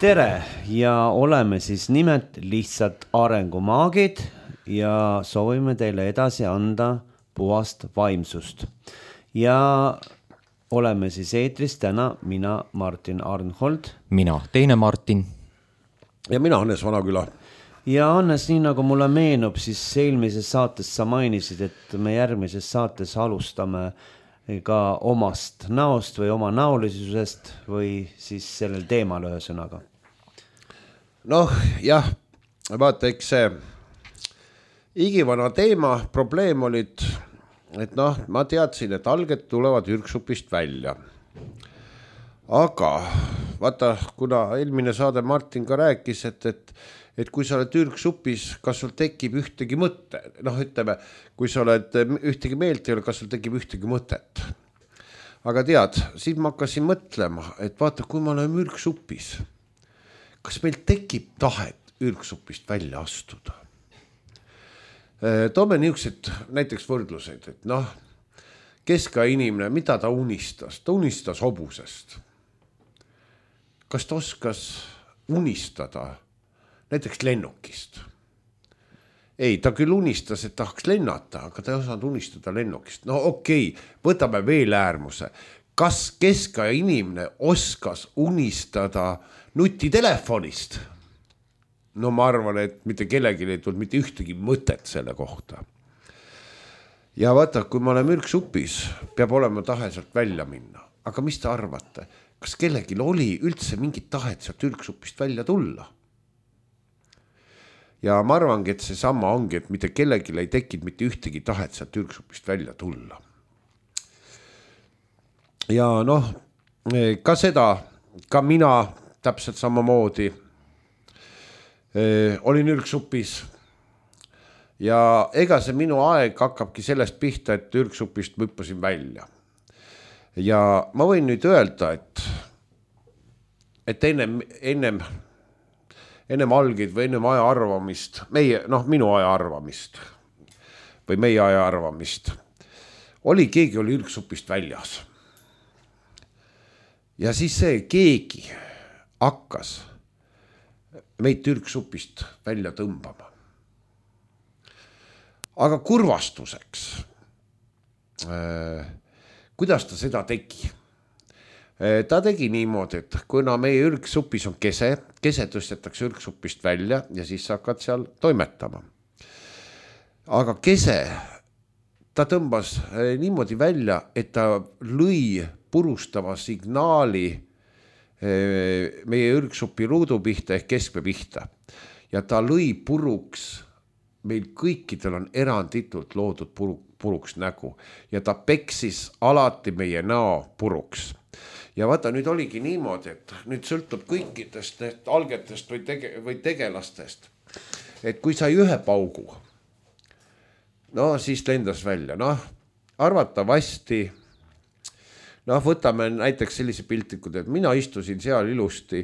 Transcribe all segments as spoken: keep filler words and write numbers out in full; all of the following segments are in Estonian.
tere ja oleme siis nimelt lihtsalt arengumaagid ja soovime teile edasi anda puhast vaimsust. Ja oleme siis eetris täna mina, Martin Arnhold. Mina, teine Martin. Ja mina, Hannes Vanaküla. Ja Hannes, nii nagu mulle meenub, siis eelmises saates sa mainisid, et me järgmises saates alustame ka omast näost või oma näolisusest või siis sellel teemal ühesõnaga. Noh, jah, vaata, eks see igivana teema, probleem olid, et noh, ma teadsin, et alged tulevad ürksupist välja. Aga vaata, kuna eelmine saade Martin ka rääkis, et, et, et kui sa oled ürksupis, kas sul tekib ühtegi mõtte, noh ütleme, kui sa oled ühtegi meelt ei ole, kas sul tekib ühtegi mõtet. Aga tead, siis ma hakkasin mõtlema, et vaata, kui ma olen ürksupis, kas meil tekib tahet ürksupist välja astuda? Toome niisugused näiteks võrdluseid, et noh, keska inimene, mida ta unistas? Ta unistas hobusest. Kas ta oskas unistada näiteks lennukist? Ei, ta küll unistas, et tahaks lennata, aga ta ei osanud unistada lennukist. No okei, võtame veel äärmuse. Kas keska inimene oskas unistada nutitelefonist? No ma arvan, et mitte kellelgi ei tulnud mitte ühtegi mõtet selle kohta. Ja vaata, kui ma olen ürksupis, peab olema tahe sealt välja minna. Aga mis te arvate? Kas kellelgi oli üldse mingit tahet sealt ürksupist välja tulla? Ja ma arvangi, et see sama ongi, et mitte kellelgi ei tekkinud mitte ühtegi tahet sealt ürksupist välja tulla. Ja noh, ka seda, ka mina täpselt samamoodi olin ürksupis ja ega see minu aeg hakkabki sellest pihta, et ürksupist ma hüppasin välja. Ja ma võin nüüd öelda, et, et ennem, ennem, ennem algid või ennem aja arvamist, meie, noh, minu aja arvamist või meie aja arvamist, oli keegi oli ürksupist väljas. Ja siis see keegi hakkas meid ürksupist välja tõmbama. Aga kurvastuseks, äh, kuidas ta seda tegi? Äh, ta tegi niimoodi, et kuna meie ürksupis on kese, kese tõstetakse ürksupist välja ja siis sa hakkad seal toimetama. Aga kese, ta tõmbas äh, niimoodi välja, et ta lõi purustava signaali meie ürksupi ruudu pihta ehk keskme pihta. Ja ta lõi puruks, meil kõikidel on eranditult loodud puru, puruks nägu. Ja ta peksis alati meie näo puruks. Ja vaata, nüüd oligi niimoodi, et nüüd sõltub kõikidest algetest või, tege, või tegelastest. Et kui sai ühe paugu, no siis lendas välja. Noh, arvatavasti noh, võtame näiteks sellise piltikud, et mina istusin seal ilusti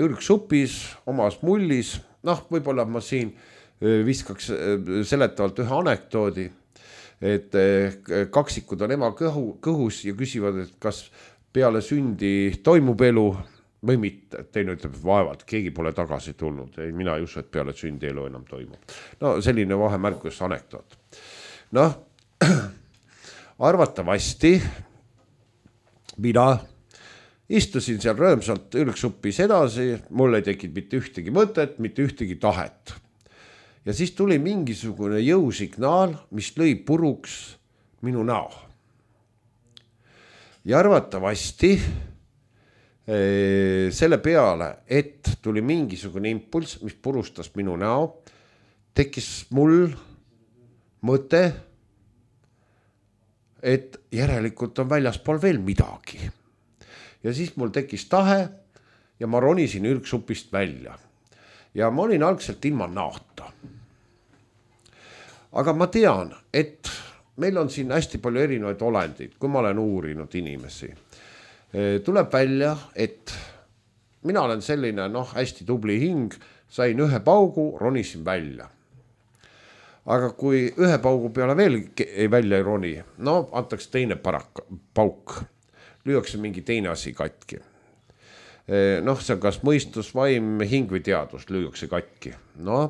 ürksupis, omas mullis. Noh, võib-olla ma siin viskaks seletavalt ühe anekdoodi, et kaksikud on ema kõhu, kõhus ja küsivad, et kas peale sündi toimub elu või mitte. Teine ütleb, vaevalt, keegi pole tagasi tulnud. Ei, mina ei usu, et peale sündi elu enam toimub. No selline vahemärkus anekdoot. Noh, arvatavasti mina istusin seal rõõmsalt ürksupis edasi, mul ei tekkinud mitte ühtegi mõtet, mitte ühtegi tahet. Ja siis tuli mingisugune jõusignaal, mis lõi puruks minu näo. Ja arvatavasti ee, selle peale, et tuli mingisugune impulss, mis purustas minu näo, tekkis mul mõte, et järelikult on väljaspool veel midagi. Ja siis mul tekkis tahe ja ma ronisin ürksupist välja. Ja ma olin algselt ilma naota. Aga ma tean, et meil on siin hästi palju erinevaid olendid, kui ma olen uurinud inimesi. Tuleb välja, et mina olen selline noh, hästi tubli hing, sain ühe paugu, ronisin välja. Aga kui ühe paugu peale veel välja ei roni, no antaks teine parak, pauk, lüüakse mingi teine asi katki. noh, see on kas mõistus, vaim, hing või teadus lüüakse katki. No,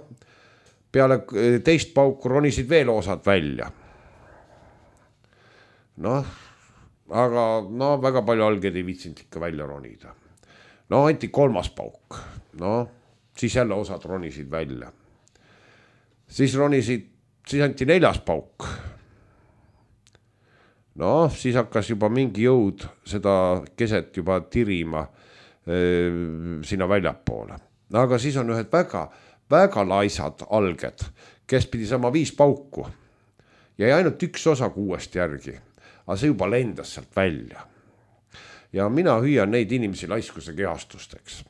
peale teist pauku ronisid veel osad välja. Noh, aga no väga palju alged ei viitsinud ikka välja ronida. No, anti kolmas pauk. No, siis jälle osad ronisid välja. Siis ronisid, siis anti neljas pauk. No, siis hakkas juba mingi jõud seda keset juba tirima sinna väljapoole. Aga siis on ühed väga, väga laisad alged, kes pidi sama viis pauku. Ja ainult üks osa kuuest järgi, aga see juba lendas sealt välja. Ja mina hüüan neid inimesi laiskuse kehastusteks.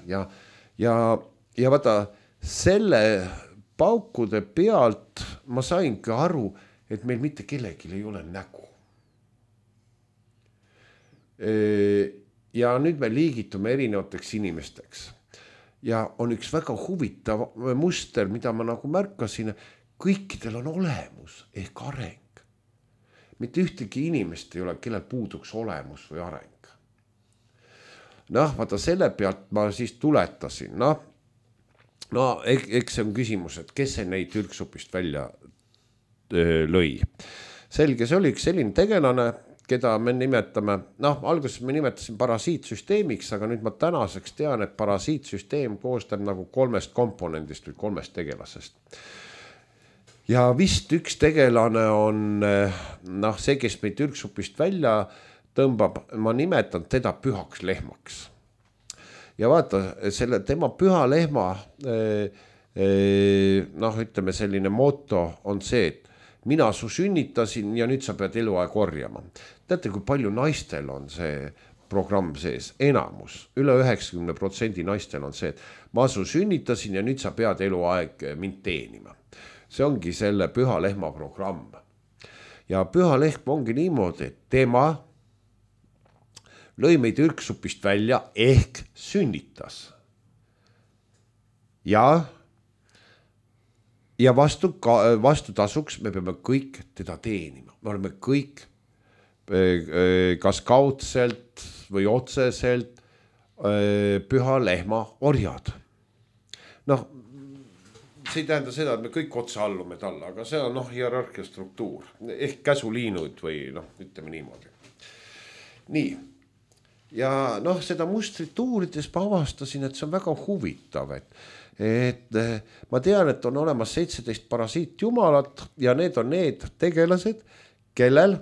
Ja, ja, ja vaata, selle paukude pealt ma saingi aru, et meil mitte kellelgi ei ole nägu. Ja nüüd me liigitume erinevateks inimesteks. Ja on üks väga huvitav muster, mida ma nagu märkasin, kõikidel on olemus ehk areng. Mitte ühtegi inimest ei ole, kellel puuduks olemus või areng. Noh, vaata selle pealt ma siis tuletasin. Noh, no eks see on küsimus, et kes see neid ürgsupist välja lõi. Selge, see oli üks selline tegelane, keda me nimetame, noh, alguses me nimetasin parasiitsüsteemiks, aga nüüd ma tänaseks tean, et parasiitsüsteem koostab nagu kolmest komponendist või kolmest tegelasest. Ja vist üks tegelane on, noh, see, kes meid ürgsupist välja tõmbab, ma nimetan teda pühaks lehmaks. Ja vaata, selle tema püha lehma, noh, ütleme selline moto on see, et mina su sünnitasin ja nüüd sa pead eluaeg korjama. Teate, kui palju naistel on see programm sees? Enamus, üle üheksakümne protsendi naistel on see, et ma su sünnitasin ja nüüd sa pead eluaeg mind teenima. See ongi selle püha lehma programm. Ja püha lehm ongi niimoodi, et tema lõi meid ürgsupist välja ehk sünnitas. Ja Ja vastu, vastu tasuks me peame kõik teda teenima. Me oleme kõik kas kaudselt või otseselt püha lehma orjad. Noh, see ei tähenda seda, et me kõik otse allume talle, aga see on noh, hierarhia struktuur. Ehk käsuliinud või noh, ütleme niimoodi. Nii. Ja noh, seda mustrit uurides ma avastasin, et see on väga huvitav, et et ma tean, et on olemas seitseteist parasiitjumalat ja need on need tegelased, kellel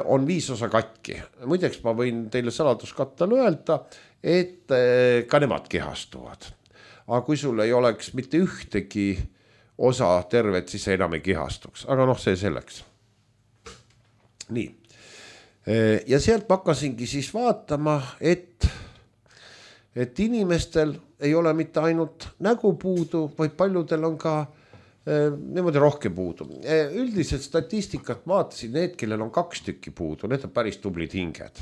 on viis osa katki. Muideks ma võin teile saladuskattal öelda, et ka nemad kehastuvad. Aga kui sul ei oleks mitte ühtegi osa tervet, siis see enam ei kehastuks. Aga noh, see selleks. Nii. Ja sealt ma hakkasingi siis vaatama, et et inimestel ei ole mitte ainult nägu puudu, vaid paljudel on ka eh, niimoodi rohkem puudu. Eh, üldiselt statistikat vaatasin, need, kellel on kaks tükki puudu, need on päris tublid hinged.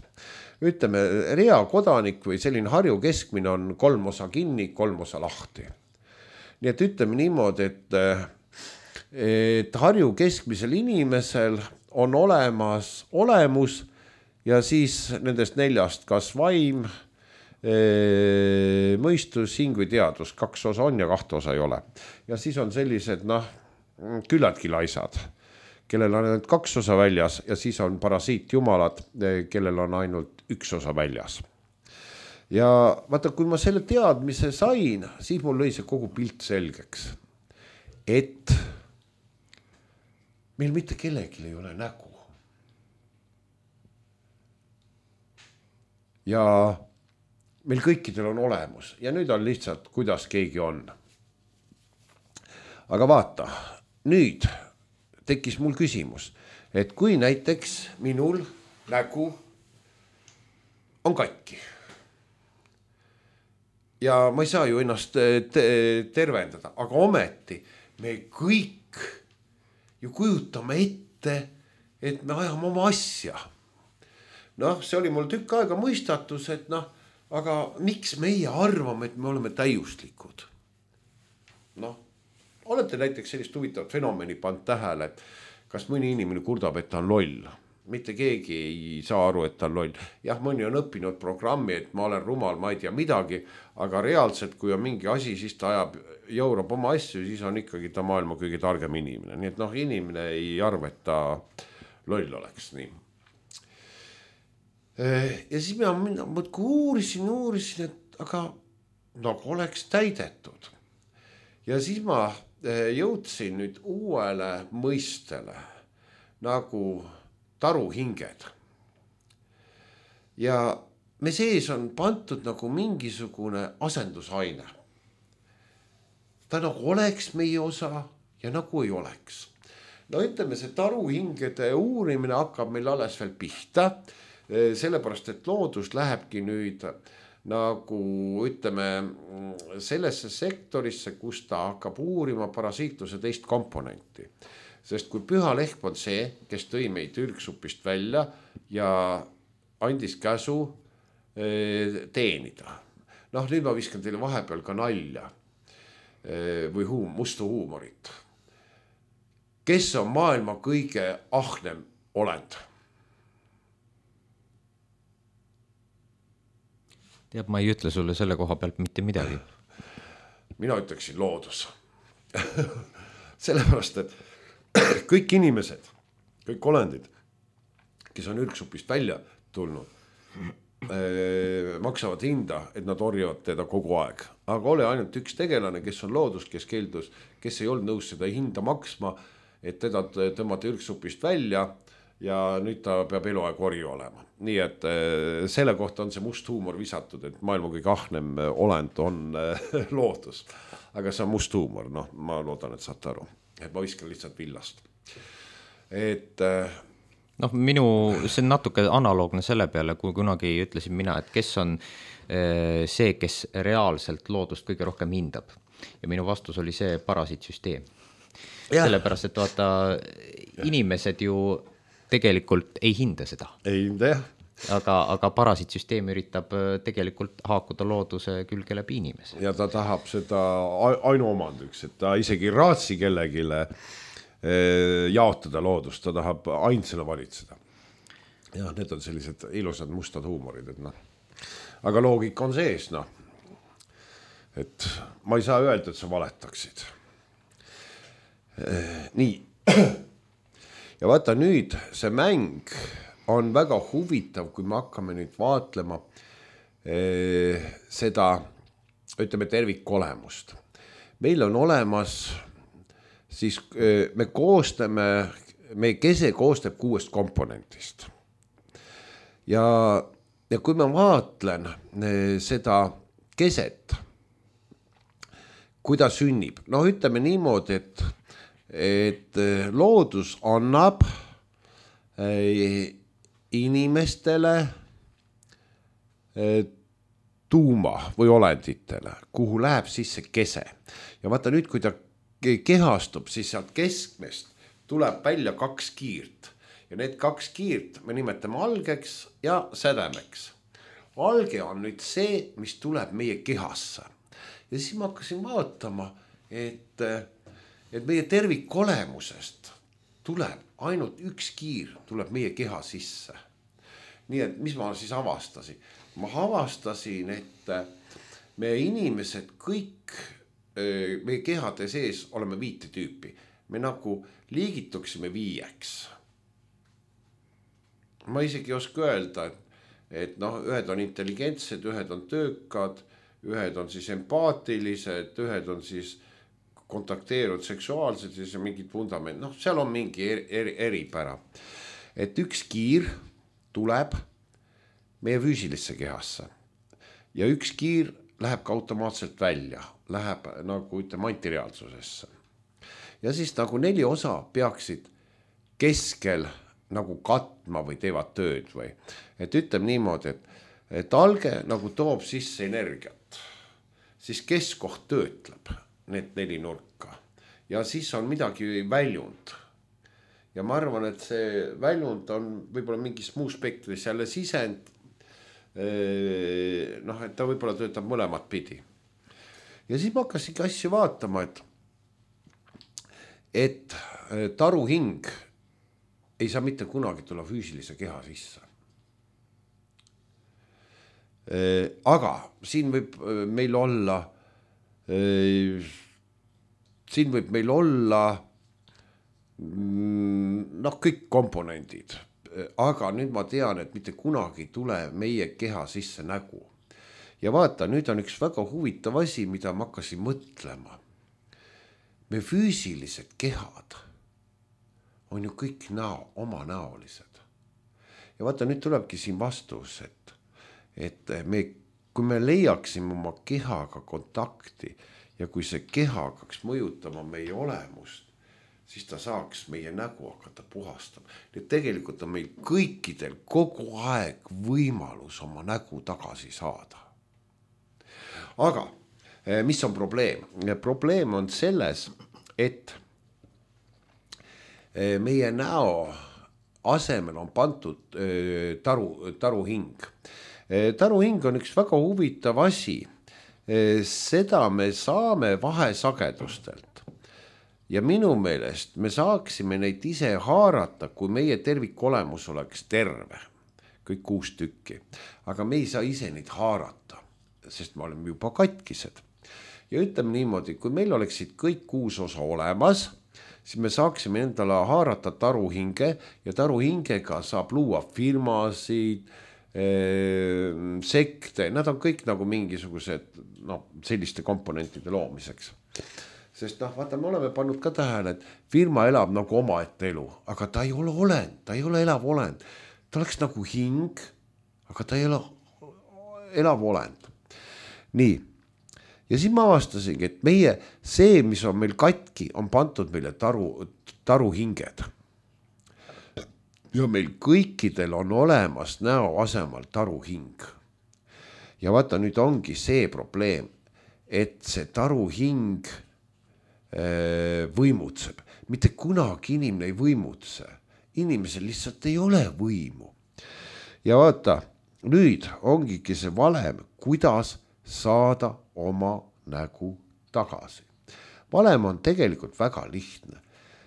Ütleme, rea kodanik või selline Harju keskmine on kolm osa kinni, kolm osa lahti. Nii et ütleme niimoodi, et, et Harju keskmisel inimesel on olemas olemus ja siis nendest neljast kas vaim, mõistus, hing või teadus, kaks osa on ja kahte osa ei ole. Ja siis on sellised, noh, küllaltki laisad, kellel on ainult kaks osa väljas ja siis on parasiitjumalad, kellel on ainult üks osa väljas. Ja vaata, kui ma selle teadmise sain, siis mul lõi see kogu pilt selgeks, et meil mitte kellelgi ei ole nägu. Ja meil kõikidel on olemus ja nüüd on lihtsalt, kuidas keegi on. Aga vaata, nüüd tekkis mul küsimus, et kui näiteks minul nägu on katki ja ma ei saa ju ennast tervendada, aga ometi me kõik ju kujutame ette, et me ajame oma asja. Noh, see oli mul tükk aega mõistatus, et noh, aga miks meie arvame, et me oleme täiuslikud? Noh, olete näiteks sellist huvitavat fenomeni pannud tähele, et kas mõni inimene kurdab, et ta on loll? mitte keegi ei saa aru, et ta on loll. Jah, mõni on õppinud programmi, et ma olen rumal, ma ei tea midagi, aga reaalselt, kui on mingi asi, siis ta ajab, jaurab oma asju, siis on ikkagi ta maailma kõige targem inimene. Nii et noh, inimene ei arva, et ta loll oleks nii. Ja siis ma, ma uurisin, uurisin, et aga nagu oleks täidetud. Ja siis ma jõudsin nüüd uuele mõistele nagu taruhinged. Ja me sees on pantud nagu mingisugune asendusaine. Ta nagu oleks meie osa ja nagu ei oleks. No ütleme, see taruhingede uurimine hakkab meil alles veel pihta, sellepärast, et loodus lähebki nüüd nagu ütleme sellesse sektorisse, kus ta hakkab uurima parasiitluse teist komponenti. Sest kui püha lehm on see, kes tõi meid ürgsupist välja ja andis käsu teenida. Noh, nüüd ma viskan teile vahepeal ka nalja või huum, musta huumorit. Kes on maailma kõige ahnem olend? Teab, ma ei ütle sulle selle koha pealt mitte midagi. Mina ütleksin loodus. Sellepärast, et kõik inimesed, kõik olendid, kes on ürgsupist välja tulnud, maksavad hinda, et nad orjavad teda kogu aeg. Aga ole ainult üks tegelane, kes on loodus, kes keeldus, kes ei olnud nõus seda hinda maksma, et teda tõmmata ürgsupist välja ja nüüd ta peab eluaeg orju olema. Nii et selle kohta on see must huumor visatud, et maailma kõige ahnem olend on loodus. Aga see on must huumor, noh, ma loodan, et saate aru. Et ma viskan lihtsalt villast. Et... noh, minu, see on natuke analoogne selle peale, kui kunagi ütlesin mina, et kes on see, kes reaalselt loodust kõige rohkem hindab. Ja minu vastus oli see parasiitsüsteem. Ja. Sellepärast, et vaata, inimesed ju tegelikult ei hinda seda. Ei hinda, jah. Aga, aga parasiitsüsteem üritab tegelikult haakuda looduse külge läbi inimese. Ja ta tahab seda ainuomandiks, et ta isegi raatsi kellegile jaotada loodust, ta tahab ainsana valitseda. Ja need on sellised ilusad mustad huumorid, et noh. Aga loogika on sees, noh. Et ma ei saa öelda, et sa valetaksid. Nii. Ja vaata nüüd, see mäng on väga huvitav, kui me hakkame nüüd vaatlema seda, ütleme, tervikolemust. Meil on olemas siis me koostame, meie kese koostab kuuest komponentist. Ja, ja kui ma vaatlen seda keset, kui ta sünnib, no ütleme niimoodi, et, et loodus annab inimestele tuuma või olenditele, kuhu läheb sisse kese. Ja vaata nüüd, kui ta kehastub, siis sealt keskmest tuleb välja kaks kiirt. Ja need kaks kiirt me nimetame algeks ja sädemeks. Alge on nüüd see, mis tuleb meie kehasse. Ja siis ma hakkasin vaatama, et, et meie tervikolemusest tuleb ainult üks kiir, tuleb meie keha sisse. Nii et mis ma siis avastasin? Ma avastasin, et meie inimesed kõik meie kehade sees oleme viite tüüpi. Me nagu liigituksime viieks. Ma isegi ei oska öelda, et, et noh, ühed on intelligentsed, ühed on töökad, ühed on siis empaatilised, ühed on siis kontakteerunud seksuaalselt, siis on mingid fundament. Noh, seal on mingi eri, eri, eripära. Et üks kiir tuleb meie füüsilisse kehasse ja üks kiir läheb ka automaatselt välja, läheb nagu ütleme antireaalsusesse. Ja siis nagu neli osa peaksid keskel nagu katma või teevad tööd või. Et ütleme niimoodi, et, et alge nagu toob sisse energiat, siis keskkoht töötleb need neli nurka ja siis on midagi väljund. Ja ma arvan, et see väljund on võib-olla mingis muu spektris jälle sisend, noh, et ta võib-olla töötab mõlemat pidi. Ja siis ma hakkasingi asju vaatama, et, et taruhing ei saa mitte kunagi tulla füüsilise keha sisse. Aga siin võib meil olla, siin võib meil olla noh, kõik komponendid, aga nüüd ma tean, et mitte kunagi ei tule meie keha sisse nägu. Ja vaata, nüüd on üks väga huvitav asi, mida ma hakkasin mõtlema. Me füüsilised kehad on ju kõik näo, oma näolised. Ja vaata, nüüd tulebki siin vastus, et, et me, kui me leiaksime oma kehaga kontakti ja kui see keha hakkaks mõjutama meie olemust, siis ta saaks meie nägu hakata puhastama. Nii tegelikult on meil kõikidel kogu aeg võimalus oma nägu tagasi saada. Aga mis on probleem? Probleem on selles, et meie näo asemel on pandud taru, taruhing. Taruhing on üks väga huvitav asi. Seda me saame vahesagedustelt. Ja minu meelest me saaksime neid ise haarata, kui meie tervikolemus oleks terve. Kõik kuus tükki. Aga me ei saa ise neid haarata, sest me oleme juba katkised. Ja ütleme niimoodi, kui meil oleksid kõik kuus osa olemas, siis me saaksime endale haarata taruhinge ja taruhingega saab luua firmasid, eh, sekte, nad on kõik nagu mingisugused no, selliste komponentide loomiseks. Sest noh, vaata, me oleme pannud ka tähele, et firma elab nagu omaette elu, aga ta ei ole olend, ta ei ole elav olend. Ta oleks nagu hing, aga ta ei ole elav olend. Nii, ja siis ma avastasingi, et meie, see, mis on meil katki, on pandud meile taru, taruhinged. Ja meil kõikidel on olemas näo asemal taruhing. Ja vaata, nüüd ongi see probleem, et see taruhing võimutseb. Mitte kunagi inimene ei võimutse. Inimesel lihtsalt ei ole võimu. Ja vaata, nüüd ongigi see valem, kuidas saada oma nägu tagasi. Valem on tegelikult väga lihtne.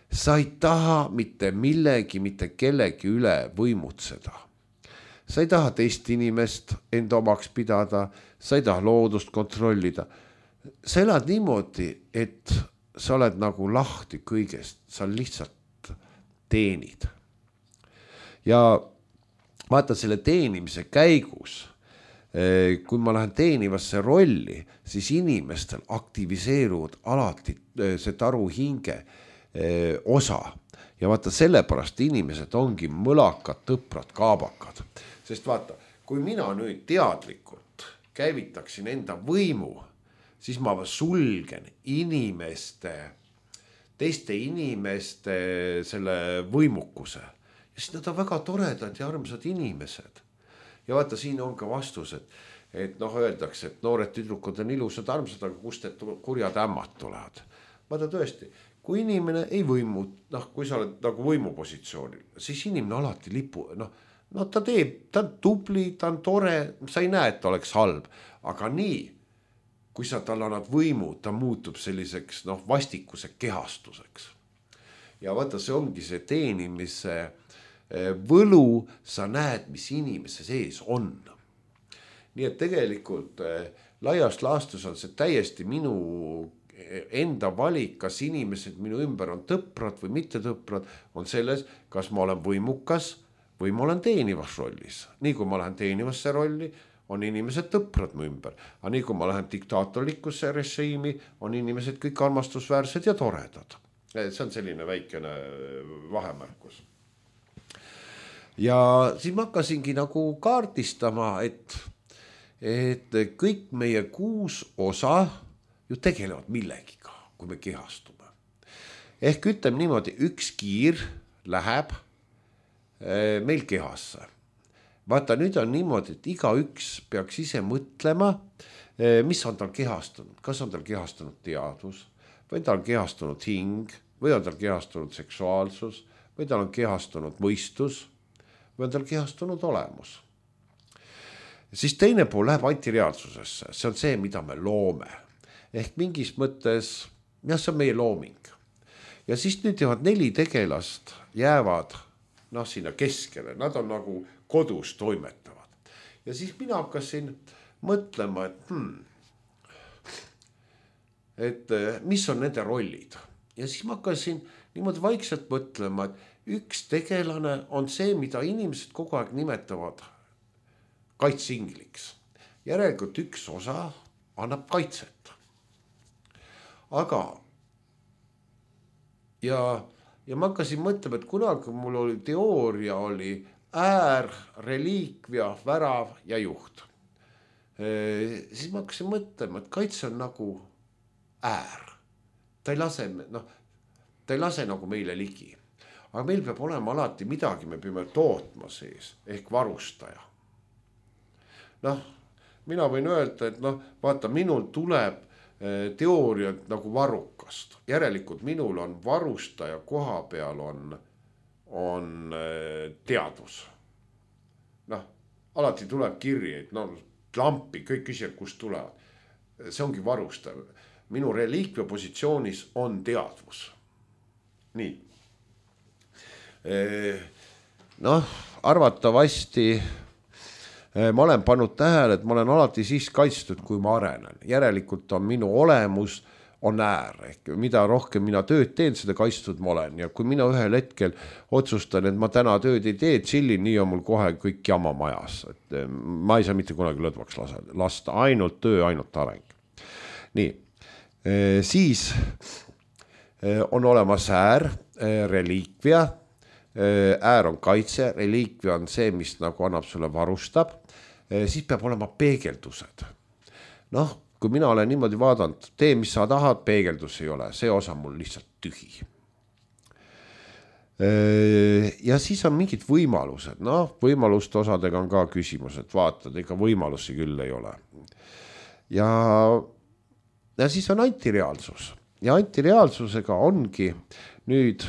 Sa ei taha mitte millegi, mitte kellegi üle võimutseda. Sa ei taha teist inimest enda omaks pidada, sa ei taha loodust kontrollida. Sa elad niimoodi, et sa oled nagu lahti kõigest, sa lihtsalt teenid. Ja vaata selle teenimise käigus, kui ma lähen teenivasse rolli, siis inimestel aktiviseeruvad alati see taruhinge osa. Ja vaata sellepärast inimesed ongi mõlakad, tõprad, kaabakad. Sest vaata, kui mina nüüd teadlikult käivitaksin enda võimu, siis ma sulgen inimeste, teiste inimeste selle võimukuse. Ja siis nad on väga toredad ja armsad inimesed. Ja vaata, siin on ka vastus, et, et noh, öeldakse, et noored tüdrukud on ilusad armsad, aga kust et kurjad ämmad tulevad. Vaata tõesti, kui inimene ei võimu, noh, kui sa oled nagu võimupositsioonil, siis inimene alati lipu, noh, no ta teeb, ta on tubli, ta on tore, sa ei näe, et ta oleks halb, aga nii, kui sa tal annad võimu, ta muutub selliseks noh, vastikuse kehastuseks. Ja vaata, see ongi see teenimise võlu, sa näed, mis inimese sees on. Nii et tegelikult laiast laastus on see täiesti minu enda valik, kas inimesed minu ümber on tõprad või mitte tõprad, on selles, kas ma olen võimukas või ma olen teenivas rollis. Nii kui ma lähen teenivasse rolli, on inimesed tõprad mu ümber. Aga nii kui ma lähen diktaatorlikusse režiimi, on inimesed kõik armastusväärsed ja toredad. See on selline väikene vahemärkus. Ja siis ma hakkasingi nagu kaardistama, et, et kõik meie kuus osa ju tegelevad millegiga, kui me kehastume. Ehk ütleme niimoodi, üks kiir läheb meil kehasse. Vaata, nüüd on niimoodi, et iga üks peaks ise mõtlema, mis on tal kehastunud. Kas on tal kehastunud teadvus, või tal on kehastunud hing, või on tal kehastunud seksuaalsus, või tal on kehastunud mõistus, või on tal kehastunud olemus. Siis teine pool läheb antireaalsusesse, see on see, mida me loome. Ehk mingis mõttes, jah, see on meie looming. Ja siis nüüd jäävad neli tegelast jäävad noh, sinna keskele, nad on nagu kodus toimetavad. Ja siis mina hakkasin mõtlema, et hmm, et mis on nende rollid. Ja siis ma hakkasin niimoodi vaikselt mõtlema, et üks tegelane on see, mida inimesed kogu aeg nimetavad kaitsingliks. Järelikult üks osa annab kaitset. Aga ja, ja ma hakkasin mõtlema, et kunagi mul oli teooria oli äär, reliikvia, värav ja juht. E, siis ma hakkasin mõtlema, et kaitse on nagu äär. Ta ei lase, noh, ta ei lase nagu meile ligi. Aga meil peab olema alati midagi, me peame tootma sees, ehk varustaja. Noh, mina võin öelda, et noh, vaata, minul tuleb teooriat nagu varrukast. Järelikult minul on varustaja koha peal on, on teadvus. Noh, alati tuleb kirji, et no, lampi, kõik küsijad, kust tulevad. See ongi varustaja. Minu reliikvia positsioonis on teadvus. Nii. Noh, arvatavasti ma olen pannud tähele, et ma olen alati siis kaitstud, kui ma arenen. Järelikult on minu olemus on äär. Ehk mida rohkem mina tööd teen, seda kaitstud ma olen. Ja kui mina ühel hetkel otsustan, et ma täna tööd ei tee, chillin, nii on mul kohe kõik jama majas. Et ma ei saa mitte kunagi lõdvaks lasta. Ainult töö, ainult areng. Nii. Siis on olemas äär, reliikvia. Äär on kaitse, reliikvia on see, mis nagu annab sulle varustab. Siis peab olema peegeldused. Noh, kui mina olen niimoodi vaadanud, tee, mis sa tahad, peegeldus ei ole. See osa mul lihtsalt tühi. Ja siis on mingid võimalused. Noh, võimaluste osadega on ka küsimus, et vaatad, ega võimalusi küll ei ole. Ja, ja siis on antireaalsus. Ja antireaalsusega ongi nüüd,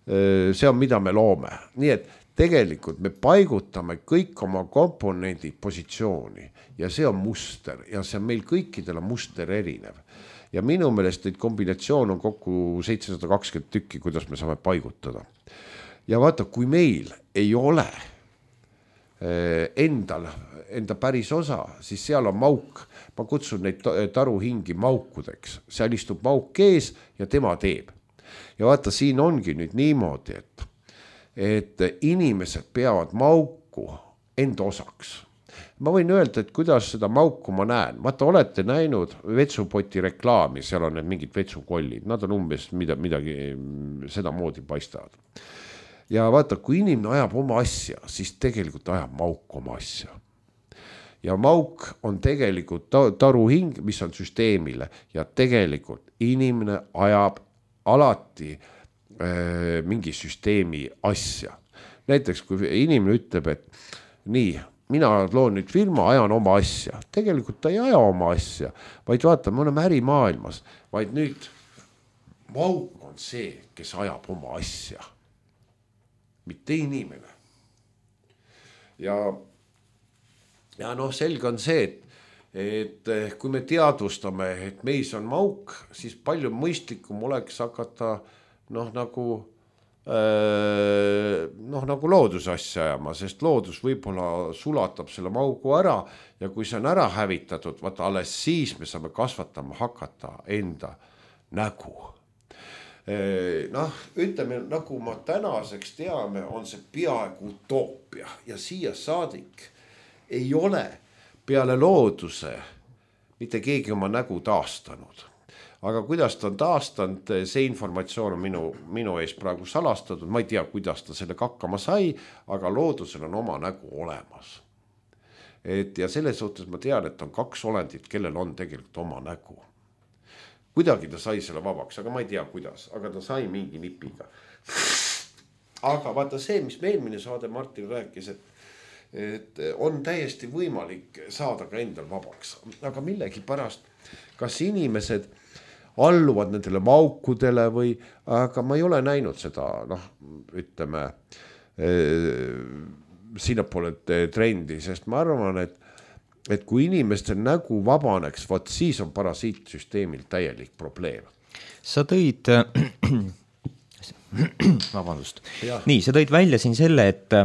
see on, mida me loome. Nii et tegelikult me paigutame kõik oma komponendid positsiooni ja see on muster ja see on meil kõikidel on muster erinev. Ja minu meelest neid kombinatsioon on kokku seitsesada kakskümmend tükki, kuidas me saame paigutada. Ja vaata, kui meil ei ole endal, enda päris osa, siis seal on mauk. Ma kutsun neid taruhingi maukudeks. Seal istub mauk ees ja tema teeb. Ja vaata, siin ongi nüüd niimoodi, et et inimesed peavad mauku enda osaks. Ma võin öelda, et kuidas seda mauku ma näen. Vaata, olete näinud vetsupoti reklaami, seal on need mingid vetsukollid. Nad on umbes mida, midagi seda moodi paistavad. Ja vaata, kui inimene ajab oma asja, siis tegelikult ajab mauk oma asja. Ja mauk on tegelikult taruhing, mis on süsteemile. Ja tegelikult inimene ajab alati mingi süsteemi asja. Näiteks, kui inimene ütleb, et nii, mina loon nüüd firma, ajan oma asja. Tegelikult ta ei aja oma asja, vaid vaata, me oleme ärimaailmas, vaid nüüd mauk on see, kes ajab oma asja. Mitte inimene. Ja, ja noh, selge on see, et et kui me teadvustame, et meis on mauk, siis palju mõistlikum oleks hakata noh, nagu, noh, nagu looduse asja ajama, sest loodus võib-olla sulatab selle maugu ära ja kui see on ära hävitatud, vaata alles siis me saame kasvatama hakata enda nägu. Noh, ütleme, nagu ma tänaseks teame, on see peaaegu utoopia ja siia saadik ei ole peale looduse mitte keegi oma nägu taastanud. Aga kuidas ta on taastanud, see informatsioon on minu, minu ees praegu salastatud. Ma ei tea, kuidas ta selle hakkama sai, aga loodusel on oma nägu olemas. Et ja selles suhtes ma tean, et on kaks olendit, kellel on tegelikult oma nägu. Kuidagi ta sai selle vabaks, aga ma ei tea, kuidas. Aga ta sai mingi nipiga. Aga vaata see, mis me eelmine saade Martin rääkis, et et on täiesti võimalik saada ka endal vabaks. Aga millegi pärast, kas inimesed alluvad nendele maukudele või, aga ma ei ole näinud seda, noh, ütleme, sinnapoole trendi, sest ma arvan, et, et kui inimestel nägu vabaneks, vaat siis on parasiitsüsteemil täielik probleem. Sa tõid, vabandust. Nii, sa tõid välja siin selle, et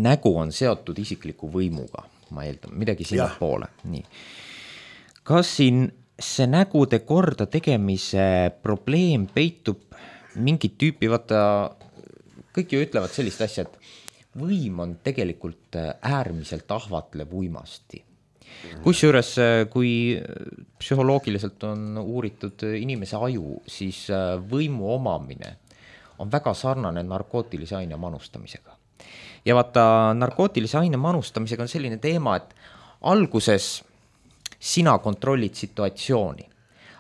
nägu on seotud isikliku võimuga, ma eeldan, midagi sinna poole. Nii. Kas siin see nägude korda tegemise probleem peitub mingit tüüpi, vaata, kõik ju ütlevad sellist asja, et võim on tegelikult äärmiselt ahvatlev uimasti. Kusjuures, kui psühholoogiliselt on uuritud inimese aju, siis võimu omamine on väga sarnane narkootilise aine manustamisega. Ja vaata, narkootilise aine manustamisega on selline teema, et alguses sina kontrollid situatsiooni,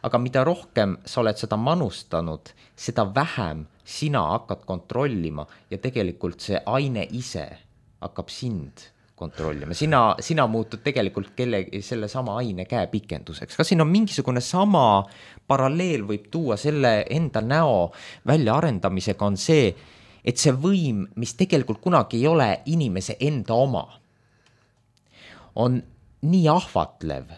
aga mida rohkem sa oled seda manustanud, seda vähem sina hakkad kontrollima ja tegelikult see aine ise hakkab sind kontrollima. Sina, sina muutud tegelikult kelle, selle sama aine käepikenduseks. Kas siin on mingisugune sama paralleel võib tuua selle enda näo välja arendamisega on see, et see võim, mis tegelikult kunagi ei ole inimese enda oma, on nii ahvatlev,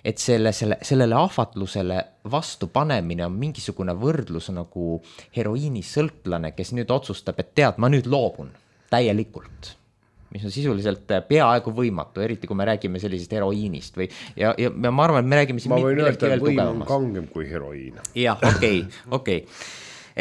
et selle, selle, sellele ahvatlusele vastu panemine on mingisugune võrdlus nagu heroiinisõltlane, kes nüüd otsustab, et tead, ma nüüd loobun täielikult, mis on sisuliselt peaaegu võimatu, eriti kui me räägime sellisest heroiinist või, ja, ja ma arvan, et me räägime siin ma võin öelda, et võim on kangem kui heroiin. Jah, okei, okei.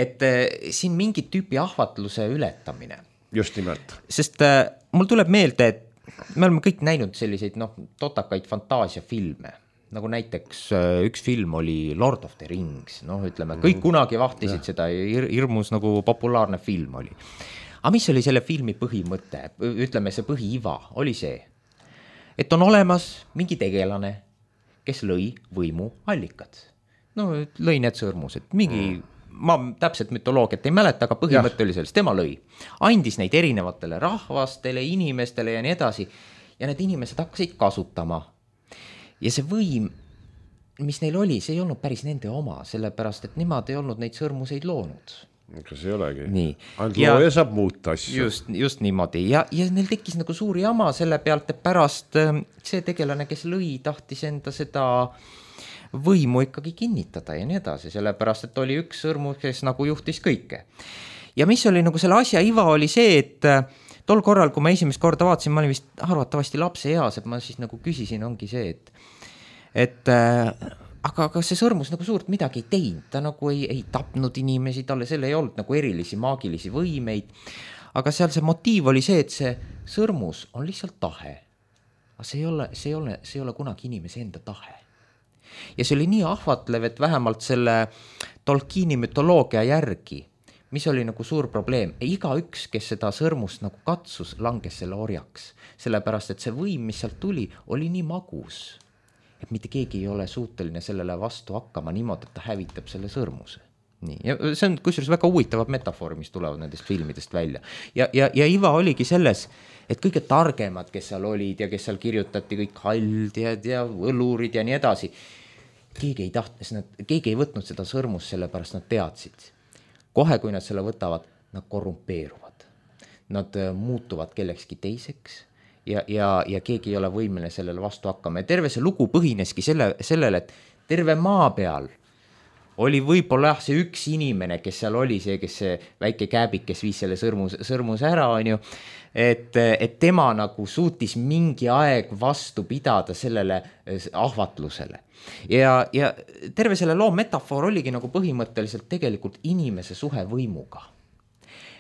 Et äh, siin mingit tüüpi ahvatluse ületamine. Just nimelt. Sest äh, mul tuleb meelde, et me oleme kõik näinud selliseid noh, totakaid fantaasiafilme, nagu näiteks äh, üks film oli Lord of the Rings, noh ütleme, kõik kunagi vahtisid ja. Seda, hirmus nagu populaarne film oli. Aga mis oli selle filmi põhimõte, ütleme see põhiiva, oli see, et on olemas mingi tegelane, kes lõi võimu allikad. No lõi need sõrmused, mingi mm. ma täpselt mütoloogiat ei mäleta, aga põhimõte oli sellest, tema lõi. Andis neid erinevatele rahvastele, inimestele ja nii edasi. Ja need inimesed hakkasid kasutama. Ja see võim, mis neil oli, see ei olnud päris nende oma, sellepärast, et nemad ei olnud neid sõrmuseid loonud. Kas ei olegi? Nii. Ainult looja saab muuta asju. Just, just niimoodi. Ja, ja neil tekkis nagu suuri jama selle pealt, et pärast see tegelane, kes lõi, tahtis enda seda võimu ikkagi kinnitada ja nii edasi, sellepärast, et oli üks sõrmus, kes nagu juhtis kõike. Ja mis oli nagu selle asja iva oli see, et tol korral, kui ma esimest korda vaatasin, ma olin vist arvatavasti lapse eas, et ma siis nagu küsisin, ongi see, et, et äh, aga, aga see sõrmus nagu suurt midagi ei teinud, ta nagu ei, ei tapnud inimesi, talle selle ei olnud nagu erilisi maagilisi võimeid, aga seal see motiiv oli see, et see sõrmus on lihtsalt tahe. Aga see ei ole, see ei ole, see ei ole kunagi inimese enda tahe. Ja see oli nii ahvatlev, et vähemalt selle Tolkieni mütoloogia järgi, mis oli nagu suur probleem, iga üks, kes seda sõrmust nagu katsus, langes selle orjaks, sellepärast, et see võim, mis sealt tuli, oli nii magus, et mitte keegi ei ole suuteline sellele vastu hakkama niimoodi, et ta hävitab selle sõrmuse. Nii. Ja see on kusjuures väga huvitavad metafoor, mis tulevad nendest filmidest välja. Ja, ja, ja iva oligi selles, et kõige targemad, kes seal olid ja kes seal kirjutati, kõik haldjad ja õlurid ja nii edasi, keegi ei tahtnud, keegi ei võtnud seda sõrmust, sellepärast nad teadsid. Kohe, kui nad selle võtavad, nad korrumpeeruvad. Nad muutuvad kellekski teiseks ja, ja, ja keegi ei ole võimeline sellele vastu hakkama. Ja terve see lugu põhineski selle, sellele, et terve maa peal oli võib-olla see üks inimene, kes seal oli see, kes see väike kääbik, kes viis selle sõrmus, sõrmus ära, on ju, et, et tema nagu suutis mingi aeg vastu pidada sellele ahvatlusele. Ja, ja terve selle loo metafoor oligi nagu põhimõtteliselt tegelikult inimese suhe võimuga.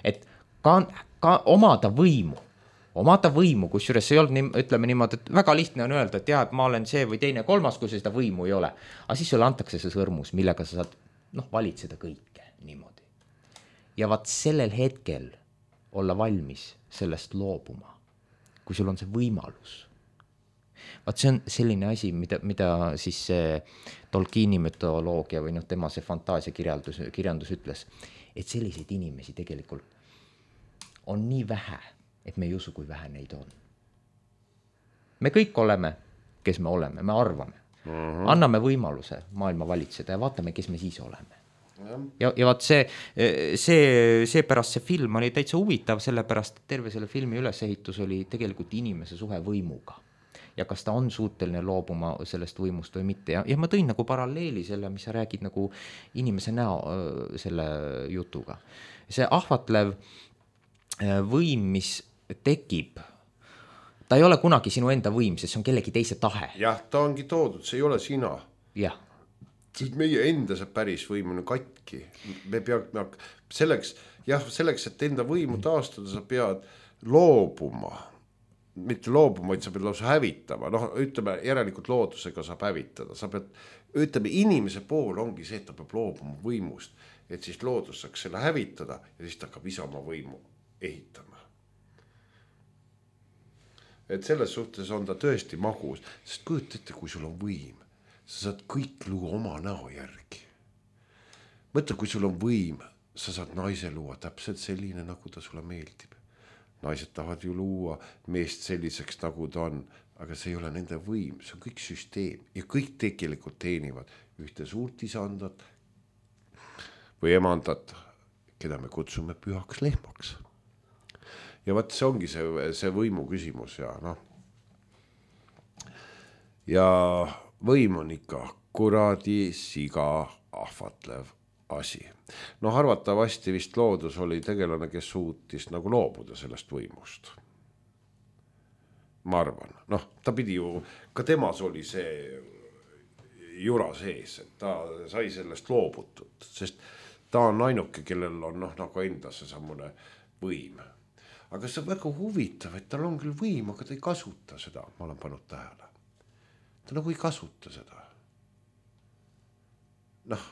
Et ka, ka omada võimu, omada võimu, kusjuures ei olnud, nii, ütleme niimoodi, et väga lihtne on öelda, et jah, et ma olen see või teine kolmas, kui seda võimu ei ole. Aga siis sulle antakse see sõrmus, millega sa saad noh, valitseda kõike niimoodi. Ja vaat sellel hetkel olla valmis sellest loobuma, kui sul on see võimalus. Vaat see on selline asi, mida, mida siis see Tolkieni mütoloogia või noh, tema see fantaasia kirjandus, kirjandus ütles, et selliseid inimesi tegelikult on nii vähe, et me ei usu, kui vähe neid on. Me kõik oleme, kes me oleme, me arvame. Uh-huh. Anname võimaluse maailma valitseda ja vaatame, kes me siis oleme. Ja, ja vaat see, see, see pärast see film oli täitsa huvitav, sellepärast terve selle filmi ülesehitus oli tegelikult inimese suhe võimuga. ja kas ta on suuteline loobuma sellest võimust või mitte ja, ja ma tõin nagu paralleeli selle, mis sa räägid nagu inimese näo selle jutuga. See ahvatlev võim, mis tekib, ta ei ole kunagi sinu enda võim, sest see on kellegi teise tahe. Jah, ta ongi toodud, see ei ole sina. Jah. Sest meie enda see päris võim on katki. Me peame selleks, jah, selleks, et enda võimu taastada, sa pead loobuma. Mitte loobuma, vaid sa pead lausa hävitama. Noh, ütleme, järelikult loodusega saab hävitada. Sa pead, ütleme, inimese pool ongi see, et ta peab loobuma võimust, et siis loodus saaks selle hävitada ja siis ta hakkab ise oma võimu ehitama. Et selles suhtes on ta tõesti magus, sest kujuta ette, kui sul on võim, sa saad kõik luua oma näo järgi. Mõtle, kui sul on võim, sa saad naise luua täpselt selline, nagu ta sulle meeldib. Naised tahavad ju luua meest selliseks, nagu ta on, aga see ei ole nende võim, see on kõik süsteem ja kõik tegelikult teenivad ühte suurt isandat või emandat, keda me kutsume pühaks lehmaks. Ja vaat see ongi see, see võimu küsimus ja noh. Ja võim on ikka kuradi siga ahvatlev asi. No arvatavasti vist loodus oli tegelane, kes suutis nagu loobuda sellest võimust. Ma arvan. Noh, ta pidi ju, ka temas oli see jura sees, et ta sai sellest loobutud, sest ta on ainuke, kellel on noh, nagu enda see sammune võim. Aga see on väga huvitav, et tal on küll võim, aga ta ei kasuta seda, ma olen pannud tähele. Ta nagu ei kasuta seda. Noh,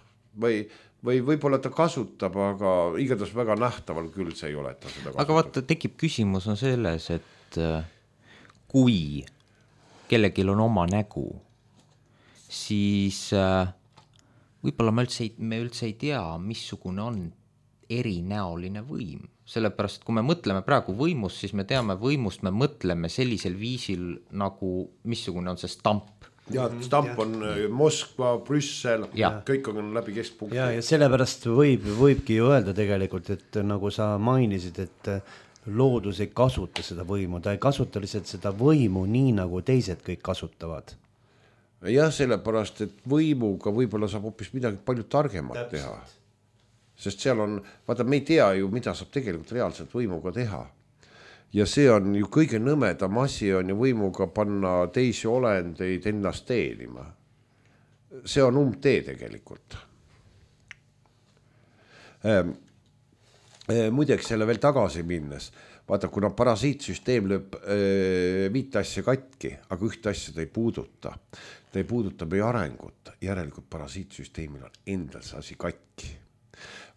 või, või võib-olla ta kasutab, aga igatahes väga nähtaval küll see ei ole, et ta seda kasutab. Aga vaata, tekib küsimus on selles, et kui kellelgi on oma nägu, siis võib-olla me üldse, ei, me üldse ei tea, missugune on erinäoline võim. Sellepärast, kui me mõtleme praegu võimust, siis me teame võimust, me mõtleme sellisel viisil, nagu missugune on see stamp. Ja, stamp on Moskva, Brüssel, ja. Kõik on läbi keskpunkti. Ja, ja sellepärast võib, võibki ju öelda tegelikult, et nagu sa mainisid, et loodus ei kasuta seda võimu, ta ei kasuta lihtsalt seda võimu nii, nagu teised kõik kasutavad. Jah, sellepärast, et võimuga võib-olla saab hoopis midagi palju targemat Täpselt. Teha. Sest seal on, vaata, me ei tea ju, mida saab tegelikult reaalselt võimuga teha. Ja see on ju kõige nõmedam asi on ju võimuga panna teisi olendeid ennast teenima. See on umbtee tegelikult. Ähm, muideks selle veel tagasi minnes, vaata, kuna parasiitsüsteem lööb äh, viite asja katki, aga ühte asja ta ei puuduta. Ta ei puuduta meie arengut, järelikult parasiitsüsteemil on endal see asi katki.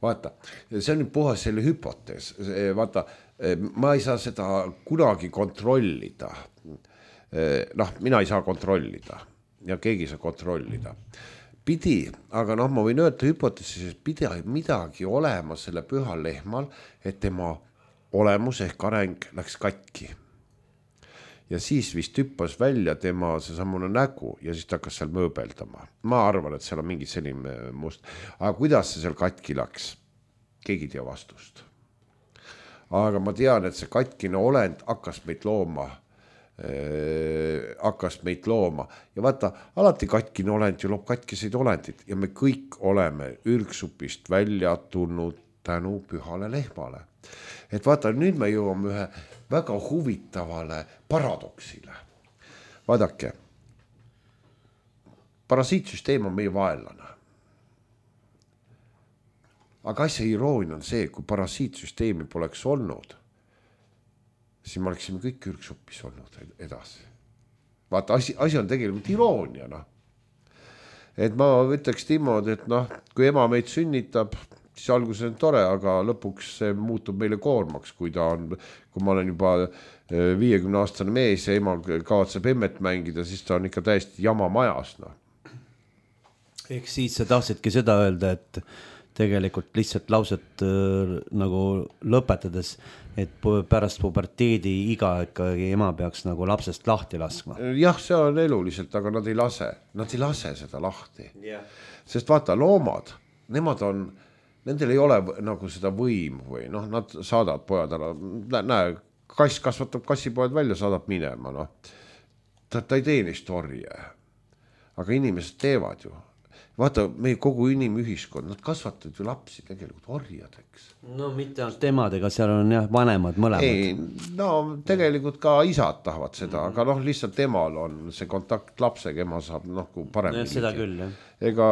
Vaata, see on nüüd puhas selle hüpotees, vaata, ma ei saa seda kunagi kontrollida, noh, mina ei saa kontrollida ja keegi ei saa kontrollida. Pidi, aga noh, ma võin öelda hüpoteesis, et pidi midagi olema selle pühal lehmal, et tema olemus ehk areng läks katki. Ja siis vist hüppas välja tema see samune nägu ja siis ta hakkas seal mööbeldama. Ma arvan, et seal on mingi selline must. Aga kuidas see seal katki läks? Keegi ei tea vastust. Aga ma tean, et see katkine olend hakkas meid looma. Äh, hakkas meid looma. Ja vaata, alati katkine olend ju loob katkiseid olendid ja me kõik oleme ürgsupist välja tulnud tänu pühale lehmale. Et vaata, nüüd me jõuame ühe väga huvitavale paradoksile. Vaadake, parasiitsüsteem on meie vaenlane. Aga asja iroonia on see, kui parasiitsüsteemi poleks olnud, siis me oleksime kõik ürgsupis olnud edasi. Vaata, asi, asi on tegelikult iroonia. No. Et ma ütleks Timod, et noh, kui ema meid sünnitab, siis alguses on tore, aga lõpuks see muutub meile koormaks, kui ta on, kui ma olen juba viiekümne aastane mees ja ema kavatseb emmet mängida, siis ta on ikka täiesti jama majas. No. Ehk siis sa tahtsidki seda öelda, et tegelikult lihtsalt lauset äh, nagu lõpetades, et pärast puberteedi iga ikkagi ema peaks nagu lapsest lahti laskma. Jah, see on eluliselt, aga nad ei lase, nad ei lase seda lahti. Yeah. Sest vaata, loomad, nemad on, nendel ei ole nagu seda võimu või noh, nad saadavad pojad ära, näe, kass kasvatab kassipoed välja, saadab minema, noh. ta, ta ei tee neist orje, aga inimesed teevad ju. Vaata, meie kogu inimühiskond, nad kasvatavad ju lapsi tegelikult orjadeks. No mitte ainult emadega, seal on jah vanemad mõlemad. Ei, no tegelikult ka isad tahavad seda, aga noh, lihtsalt emal on see kontakt lapsega, ema saab noh, kui paremini. Seda küll, jah. Ega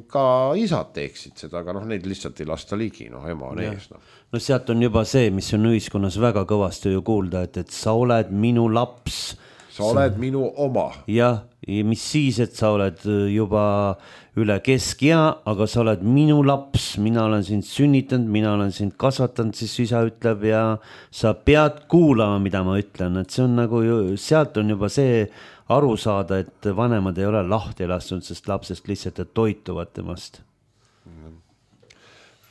ka isad teeksid seda, aga noh, neid lihtsalt ei lasta ligi, noh, ema on ees. No. no sealt on juba see, mis on ühiskonnas väga kõvasti ju kuulda, et, et sa oled minu laps. Sa oled sa... minu oma. Jah, mis siis, et sa oled juba üle keskea, aga sa oled minu laps, mina olen sind sünnitanud, mina olen sind kasvatanud, siis isa ütleb ja sa pead kuulama, mida ma ütlen, et see on nagu ju, sealt on juba see aru saada, et vanemad ei ole lahti lastud, sest lapsest lihtsalt toituvad temast.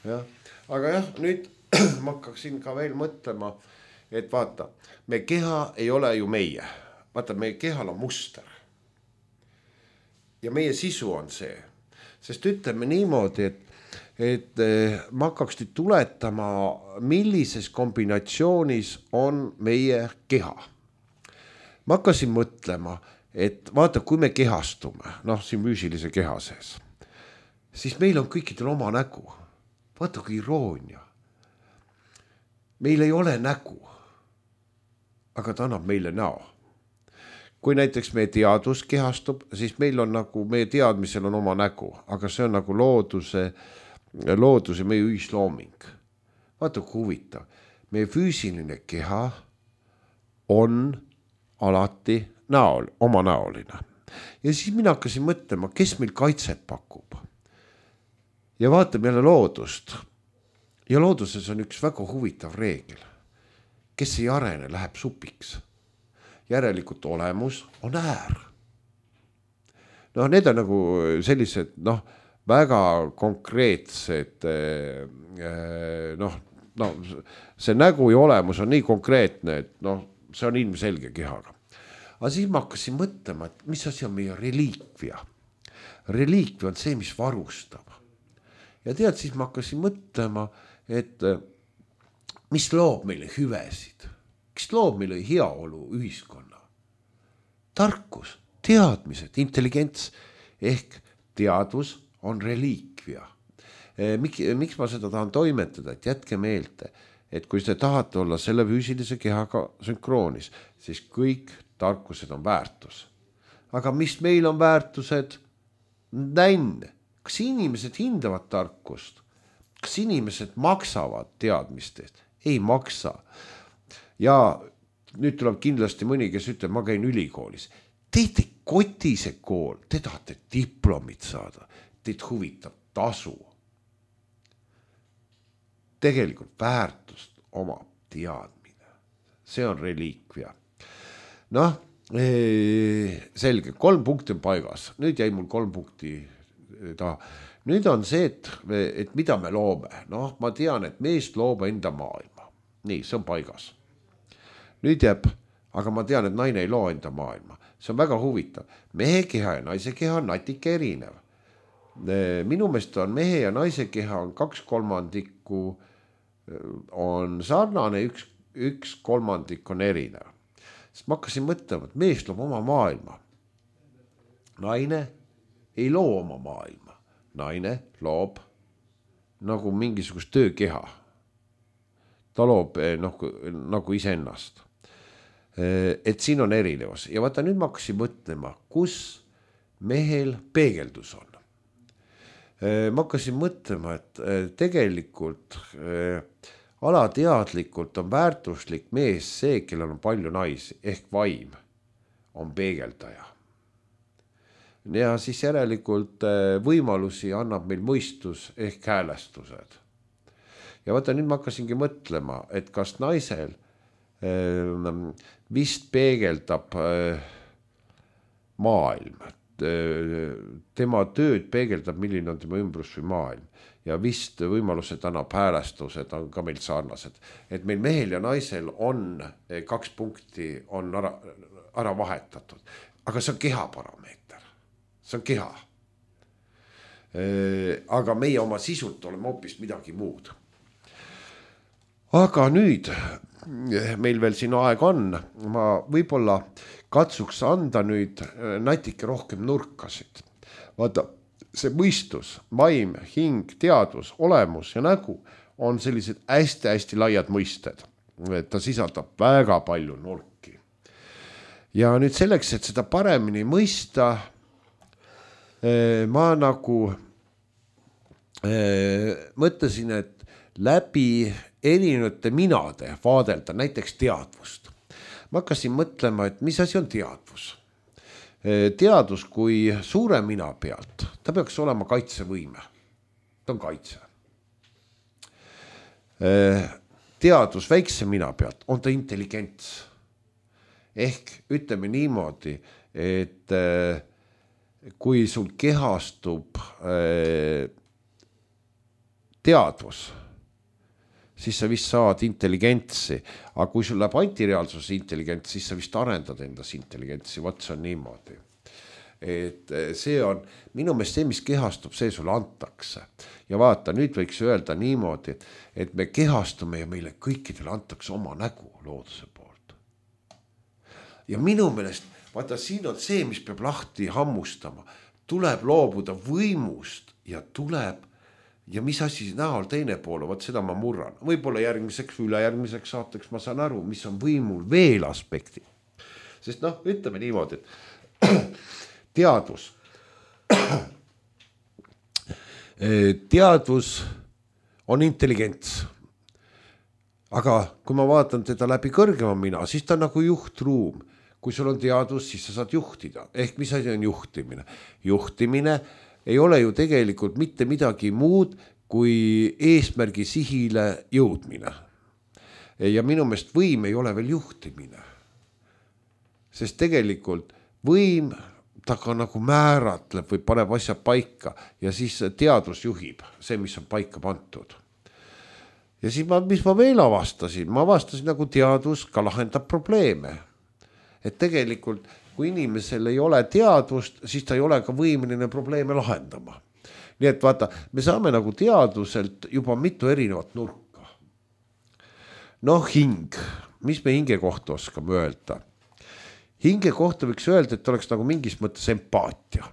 jah, aga jah, nüüd ma hakkaksin ka veel mõtlema, et vaata, me keha ei ole ju meie, vaata, meie kehal on muster ja meie sisu on see. Sest ütleme niimoodi, et, et ma hakkaks nüüd tuletama, millises kombinatsioonis on meie keha. Ma hakkasin mõtlema, et vaata, kui me kehastume, noh, siin füüsilise keha sees, siis meil on kõikidel oma nägu. Vaata, kui iroonia. Meil ei ole nägu, aga ta annab meile näo. Kui näiteks meie teadvus kehastub, siis meil on nagu, meie teadmisel on oma nägu, aga see on nagu looduse, looduse meie ühislooming. Vaata, kui huvitav. Meie füüsiline keha on alati näol, oma näoline. Ja siis mina hakkasin mõtlema, kes meil kaitset pakub. Ja vaatame jälle loodust. Ja looduses on üks väga huvitav reegel. Kes ei arene, läheb supiks. Järelikult olemus on äär. noh, need on nagu sellised noh, väga konkreetsed noh, no see nägu ja olemus on nii konkreetne, et noh, see on ilmselge kehaga. Aga siis ma hakkasin mõtlema, et mis asi on meie reliikvia. Reliikvia on see, mis varustab. Ja tead, siis ma hakkasin mõtlema, et mis loob meile hüvesid, kes loob meile heaolu ühiskonna. Tarkus, teadmised, intelligents ehk teadvus on reliikvia. Mik, miks ma seda tahan toimetada, et jätke meelde, et kui te tahate olla selle füüsilise kehaga sünkroonis, siis kõik tarkused on väärtus. Aga mis meil on väärtused? Nänn. Kas inimesed hindavad tarkust? Kas inimesed maksavad teadmistest? Ei maksa. Ja nüüd tuleb kindlasti mõni, kes ütleb, ma käin ülikoolis. Teid ei koti see kool, te tahate diplomit saada, teid huvitab tasu. Tegelikult väärtust omab teadmine. See on reliikvia. Noh, selge, kolm punkti on paigas. Nüüd jäi mul kolm punkti taha. Nüüd on see, et, et mida me loome. Noh, ma tean, et meest loob enda maailma. Nii, see on paigas. Nüüd jääb, aga ma tean, et naine ei loo enda maailma. See on väga huvitav. Mehe keha ja naise keha on natuke erinev. Minu meelest on mehe ja naise keha on kaks kolmandikku on sarnane, üks, üks kolmandik on erinev. Sest ma hakkasin mõtlema, et mees loob oma maailma. Naine ei loo oma maailma. Naine loob nagu mingisugust töökeha. Ta loob nagu, nagu iseennast. Et siin on erinevus. Ja vaata, nüüd ma hakkasin mõtlema, kus mehel peegeldus on. Ma hakkasin mõtlema, et tegelikult alateadlikult on väärtuslik mees see, kellel on palju naisi, ehk vaim on peegeldaja. Ja siis järelikult võimalusi annab meil mõistus ehk häälestused. Ja vaata, nüüd ma hakkasingi mõtlema, et kas naisel vist peegeldab maailm. Tema tööd peegeldab, milline on tema ümbrus või maailm. Ja vist võimalused annab häälestused on ka meil sarnased. Et meil mehel ja naisel on kaks punkti on ära, ära vahetatud. Aga see on keha parameeter. See on keha. Aga meie oma sisult oleme hoopis midagi muud. Aga nüüd meil veel siin aeg on, ma võib-olla katsuks anda nüüd natuke rohkem nurkasid. Vaata, see mõistus, vaim, hing, teadvus, olemus ja nägu on sellised hästi-hästi laiad mõisted. Ta sisaldab väga palju nurki. Ja nüüd selleks, et seda paremini mõista, ma nagu mõtlesin, et läbi erinevate minade vaadelda näiteks teadvust. Ma hakkasin mõtlema, et mis asi on teadvus. Teadvus kui suure mina pealt, ta peaks olema kaitsevõime. Ta on kaitse. Teadvus väikse mina pealt on ta intelligents. Ehk ütleme niimoodi, et kui sul kehastub teadvus, siis sa vist saad intelligentsi, aga kui sul läheb antireaalsus intelligents, siis sa vist arendad endas intelligentsi, vaat see on niimoodi. Et see on minu meelest see, mis kehastub, see sulle antakse. Ja vaata, nüüd võiks öelda niimoodi, et me kehastume ja meile kõikidele antakse oma nägu looduse poolt. Ja minu meelest, vaata, siin on see, mis peab lahti hammustama. Tuleb loobuda võimust ja tuleb ja mis asi näol teine poole, vaat seda ma murran. Võib-olla järgmiseks või ülejärgmiseks saateks ma saan aru, mis on võimul veel aspekti. Sest noh, ütleme niimoodi, et teadvus. Teadvus on intelligents. Aga kui ma vaatan teda läbi kõrgema mina, siis ta on nagu juhtruum. Kui sul on teadvus, siis sa saad juhtida. Ehk mis asi on juhtimine? Juhtimine ei ole ju tegelikult mitte midagi muud kui eesmärgi sihile jõudmine. Ja minu meelest võim ei ole veel juhtimine. Sest tegelikult võim ta ka nagu määratleb või paneb asja paika ja siis teadvus juhib see, mis on paika pantud. Ja siis ma, mis ma veel avastasin? Ma avastasin nagu teadvus ka lahendab probleeme. Et tegelikult kui inimesel ei ole teadvust, siis ta ei ole ka võimeline probleeme lahendama. Nii et vaata, me saame nagu teadvuselt juba mitu erinevat nurka. Noh, hing. Mis me hinge kohta oskame öelda? Hinge kohta võiks öelda, et oleks nagu mingis mõttes empaatia.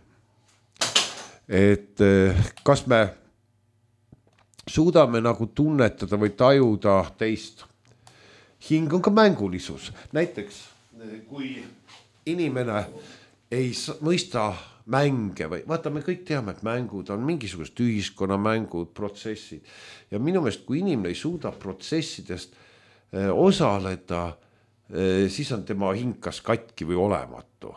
Et kas me suudame nagu tunnetada või tajuda teist. Hing on ka mängulisus. Näiteks, kui inimene ei mõista mänge või vaata, me kõik teame, et mängud on mingisugust ühiskonnamängud, protsessid. Ja minu meelest, kui inimene ei suuda protsessidest osaleda, siis on tema hing kas katki või olematu.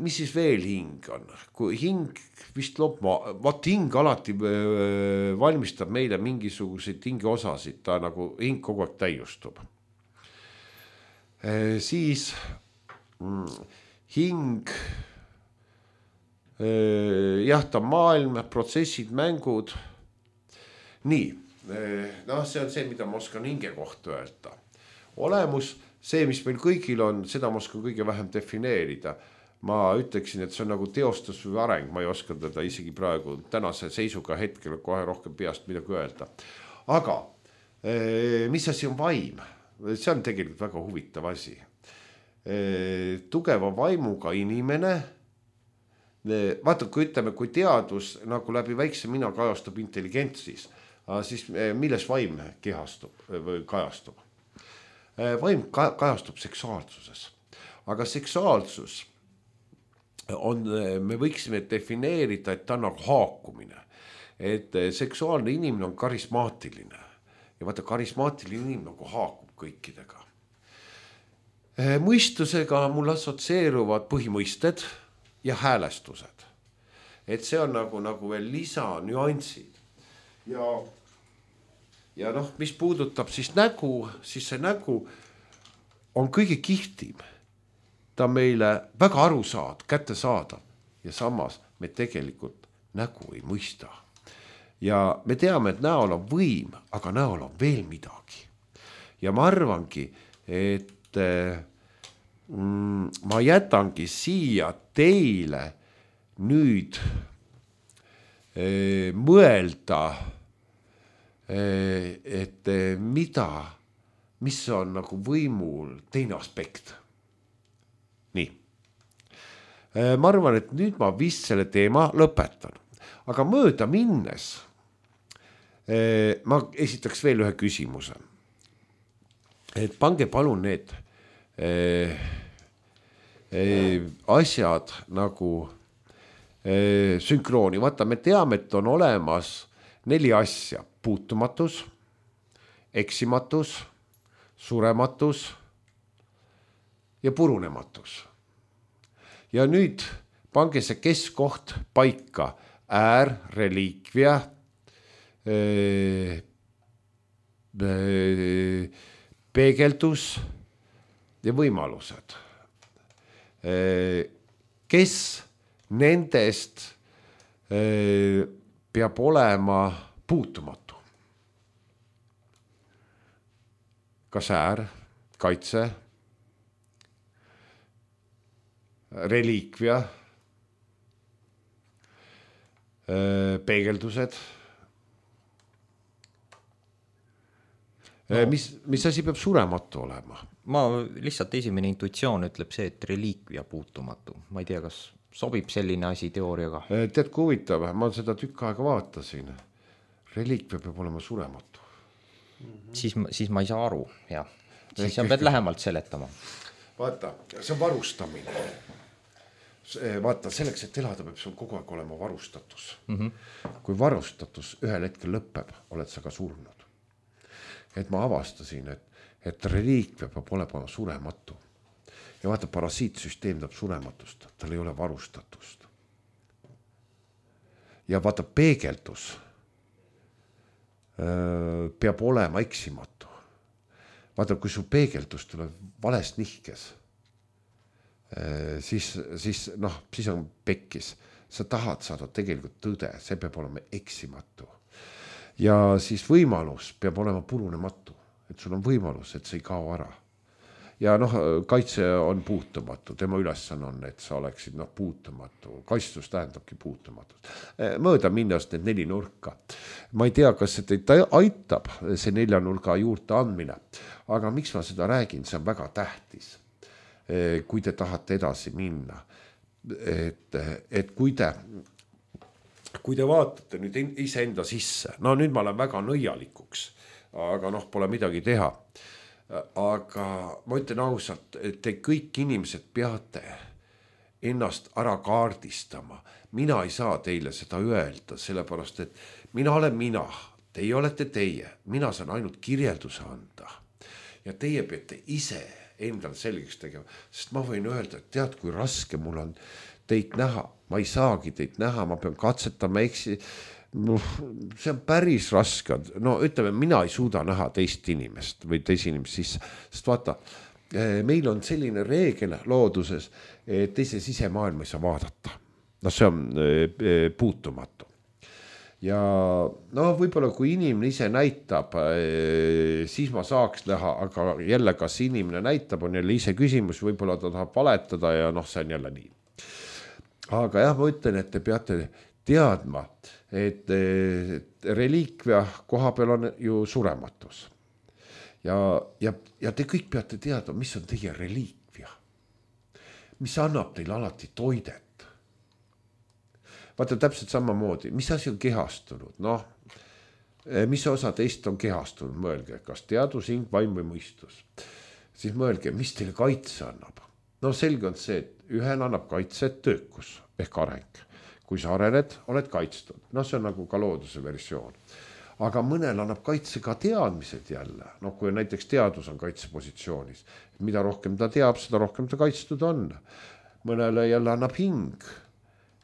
Mis siis veel hing on? Kui hing vist loob, vaat hing alati valmistab meile mingisuguseid hingeosasid, ta nagu hing kogu aeg täiustub. Siis hing, jah, ta maailm, protsessid, mängud. Nii, noh, see on see, mida ma oskan hinge kohta öelda. Olemus, see, mis meil kõigil on, seda ma oskan kõige vähem defineerida. Ma ütleksin, et see on nagu teostus või areng, ma ei oska teda isegi praegu tänase seisuga hetkel kohe rohkem peast midagi öelda. Aga mis asi on vaim? See on tegelikult väga huvitav asi. Tugeva vaimuga inimene, vaata, kui ütleme, kui teadus nagu läbi väikse mina kajastub intelligentsis, siis milles vaim kehastub või kajastub? Vaim kajastub seksuaalsuses. Aga seksuaalsus on, me võiksime defineerida, et ta on nagu haakumine. Et seksuaalne inimene on karismaatiline. Ja vaata, karismaatiline inimene nagu haakub kõikidega. Mõistusega mul assotsieeruvad põhimõisted ja häälestused. Et see on nagu, nagu veel lisa nüansid. Ja, ja noh, mis puudutab siis nägu, siis see nägu on kõige kihvtim. Ta meile väga aru saad, kätte saada ja samas me tegelikult nägu ei mõista. Ja me teame, et näol on võim, aga näol on veel midagi. Ja ma arvangi, et mm, ma jätangi siia teile nüüd e, mõelda, e, et mida mis on nagu võimul teine aspekt. Nii. Ma arvan, et nüüd ma vist selle teema lõpetan. Aga mööda minnes ma esitaks veel ühe küsimuse. Et pange palun need eh, eh, asjad nagu eh, sünkrooni. Vaata, me teame, et on olemas neli asja. Puutumatus, eksimatus, surematus ja purunematus. Ja nüüd pange see keskkoht paika. Äär, reliikvia, peegeldus ja võimalused. Kes nendest peab olema puutumatu? Kas äär, kaitse, reliikvia, peegeldused? No. Mis, mis asi peab surematu olema? Ma lihtsalt esimene intuitsioon ütleb see, et reliikvia puutumatu. Ma ei tea, kas sobib selline asi teooriaga. Tead, kui huvitav, ma seda tükk aega vaatasin. Reliikvia peab olema surematu. Mm-hmm. Siis, siis ma ei saa aru, jah. Siis sa pead lähemalt seletama. Vaata, see on varustamine. Vaata, selleks, et elada peab sul kogu aeg olema varustatus. Mm-hmm. Kui varustatus ühel hetkel lõpeb, oled sa ka surnud. Et ma avastasin, et, et reliikvia peab olema surematu. Ja vaata, parasiitsüsteem tahab surematust, tal ei ole varustatust. Ja vaata, peegeldus öö, peab olema eksimatu. Vaata, kui su peegeldus tuleb valest nihkes, öö, siis, siis, noh, siis on pekkis. Sa tahad saada tegelikult tõde, see peab olema eksimatu. Ja siis võimalus peab olema purunematu, et sul on võimalus, et see ei kao ära. Ja noh, kaitse on puutumatu, tema ülesanne on, et sa oleksid noh, puutumatu. Kaitstus tähendabki puutumatust. Mööda minnes need neli nurka. Ma ei tea, kas see teid aitab, see nelja nurga juurde andmine, aga miks ma seda räägin, see on väga tähtis, kui te tahate edasi minna. Et, et kui te... Kui te vaatate nüüd iseenda sisse, no nüüd ma olen väga nõialikuks, aga noh, pole midagi teha. Aga ma ütlen ausalt, et te kõik inimesed peate ennast ära kaardistama. Mina ei saa teile seda öelda, sellepärast, et mina olen mina, teie olete teie, mina saan ainult kirjelduse anda. Ja teie peate ise endal selgeks tegema, sest ma võin öelda, et tead, kui raske mul on teid näha, ma ei saagi teid näha, ma pean katsetama, eksi, no, see on päris raske, no ütleme, mina ei suuda näha teist inimest või teist inimest sisse, sest vaata, meil on selline reegel looduses, et teise sisemaailma ei saa vaadata, no see on puutumatu. Ja no võib-olla kui inimene ise näitab, siis ma saaks näha, aga jälle kas inimene näitab, on jälle ise küsimus, võib-olla ta tahab valetada ja noh, see on jälle nii. Aga jah, ma ütlen, et te peate teadma, et reliikvia koha peal on ju surematus. Ja, ja, ja te kõik peate teadma, mis on teie reliikvia. Mis annab teile alati toidet. Vaata täpselt samamoodi, mis asi on kehastunud? Noh, mis osa teist on kehastunud? Mõelge, kas teadus, hing, vaim või mõistus. Siis mõelge, mis teile kaitse annab? No selge on see, et ühel annab kaitse töökus ehk areng. Kui sa arened, oled kaitstud. No see on nagu ka looduse versioon. Aga mõnel annab kaitse ka teadmised jälle. No kui näiteks teadus on kaitsepositsioonis. Mida rohkem ta teab, seda rohkem ta kaitstud on. Mõnele jälle annab hing,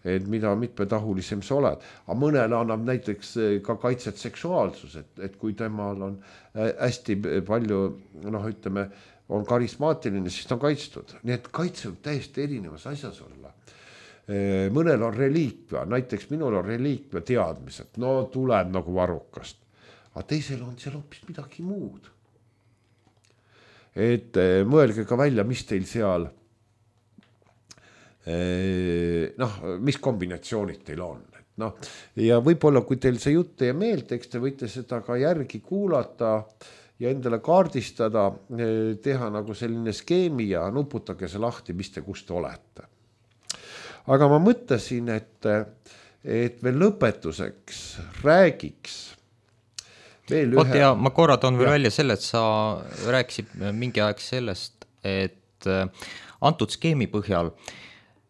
et mida mitmetahulisem sa oled. Aga mõnele annab näiteks ka kaitset seksuaalsus, et, et kui temal on hästi palju, noh ütleme, on karismaatiline, siis ta on kaitstud. Nii et kaitse võib täiesti erinevas asjas olla. Mõnel on reliikvia, näiteks minul on reliikvia teadmised, no tuleb nagu varrukast. Aga teisel on seal hoopis midagi muud. Et mõelge ka välja, mis teil seal, noh, mis kombinatsioonid teil on. No, ja võib-olla, kui teil see jutt teie meelt, eks te võite seda ka järgi kuulata ja endale kaardistada, teha nagu selline skeemi ja nuputage see lahti, mis te, kus te olete. Aga ma mõtlesin, et, et veel lõpetuseks räägiks veel ühe. Oot, ja ma korra toon veel ja. välja selle, et sa rääkisid mingi aeg sellest, et antud skeemi põhjal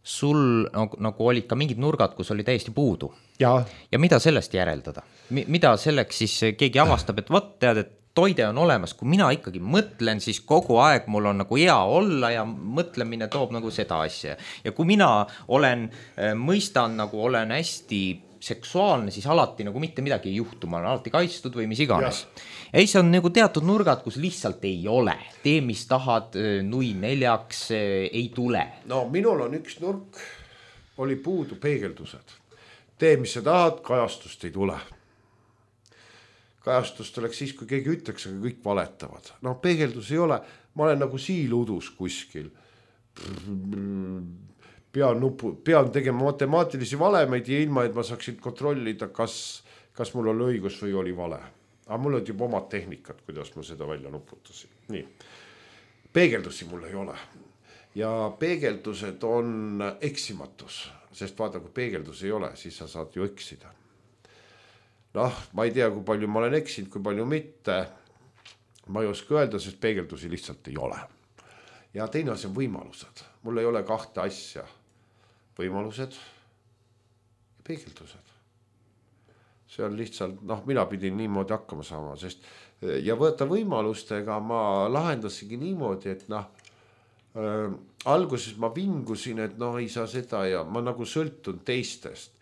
sul nagu, nagu olid ka mingid nurgad, kus oli täiesti puudu. Ja, ja mida sellest järeldada? Mida selleks siis keegi avastab, et võt tead, et toide on olemas, kui mina ikkagi mõtlen, siis kogu aeg mul on nagu hea olla ja mõtlemine toob nagu seda asja. Ja kui mina olen, mõistan nagu olen hästi seksuaalne, siis alati nagu mitte midagi ei juhtu, ma olen alati kaitstud või mis iganes. Ja ei, see on nagu teatud nurgad, kus lihtsalt ei ole. Tee, mis tahad, nui neljaks, ei tule. No minul on üks nurk, oli puudu peegeldused. Tee, mis sa tahad, kajastust ei tule. Kajastust oleks siis, kui keegi ütleks, aga kõik valetavad. No peegeldus ei ole, ma olen nagu siiludus kuskil. Pean, nupu, pean tegema matemaatilisi valemeid ja ilma, et ma saaksin kontrollida, kas, kas mul oli õigus või oli vale. Aga mul on juba omad tehnikat, kuidas ma seda välja nuputasin. Nii. Peegeldusi mul ei ole. Ja peegeldused on eksimatus, sest vaata, kui peegeldus ei ole, siis sa saad ju eksida. Noh, ma ei tea, kui palju ma olen eksinud, kui palju mitte. Ma ei oska öelda, sest peegeldusi lihtsalt ei ole. Ja teine asi on võimalused. Mul ei ole kahte asja. Võimalused ja peegeldused. See on lihtsalt, noh, mina pidin niimoodi hakkama saama, sest ja võtta võimalustega ma lahendasigi niimoodi, et noh, äh, alguses ma vingusin, et noh, ei saa seda ja ma nagu sõltun teistest.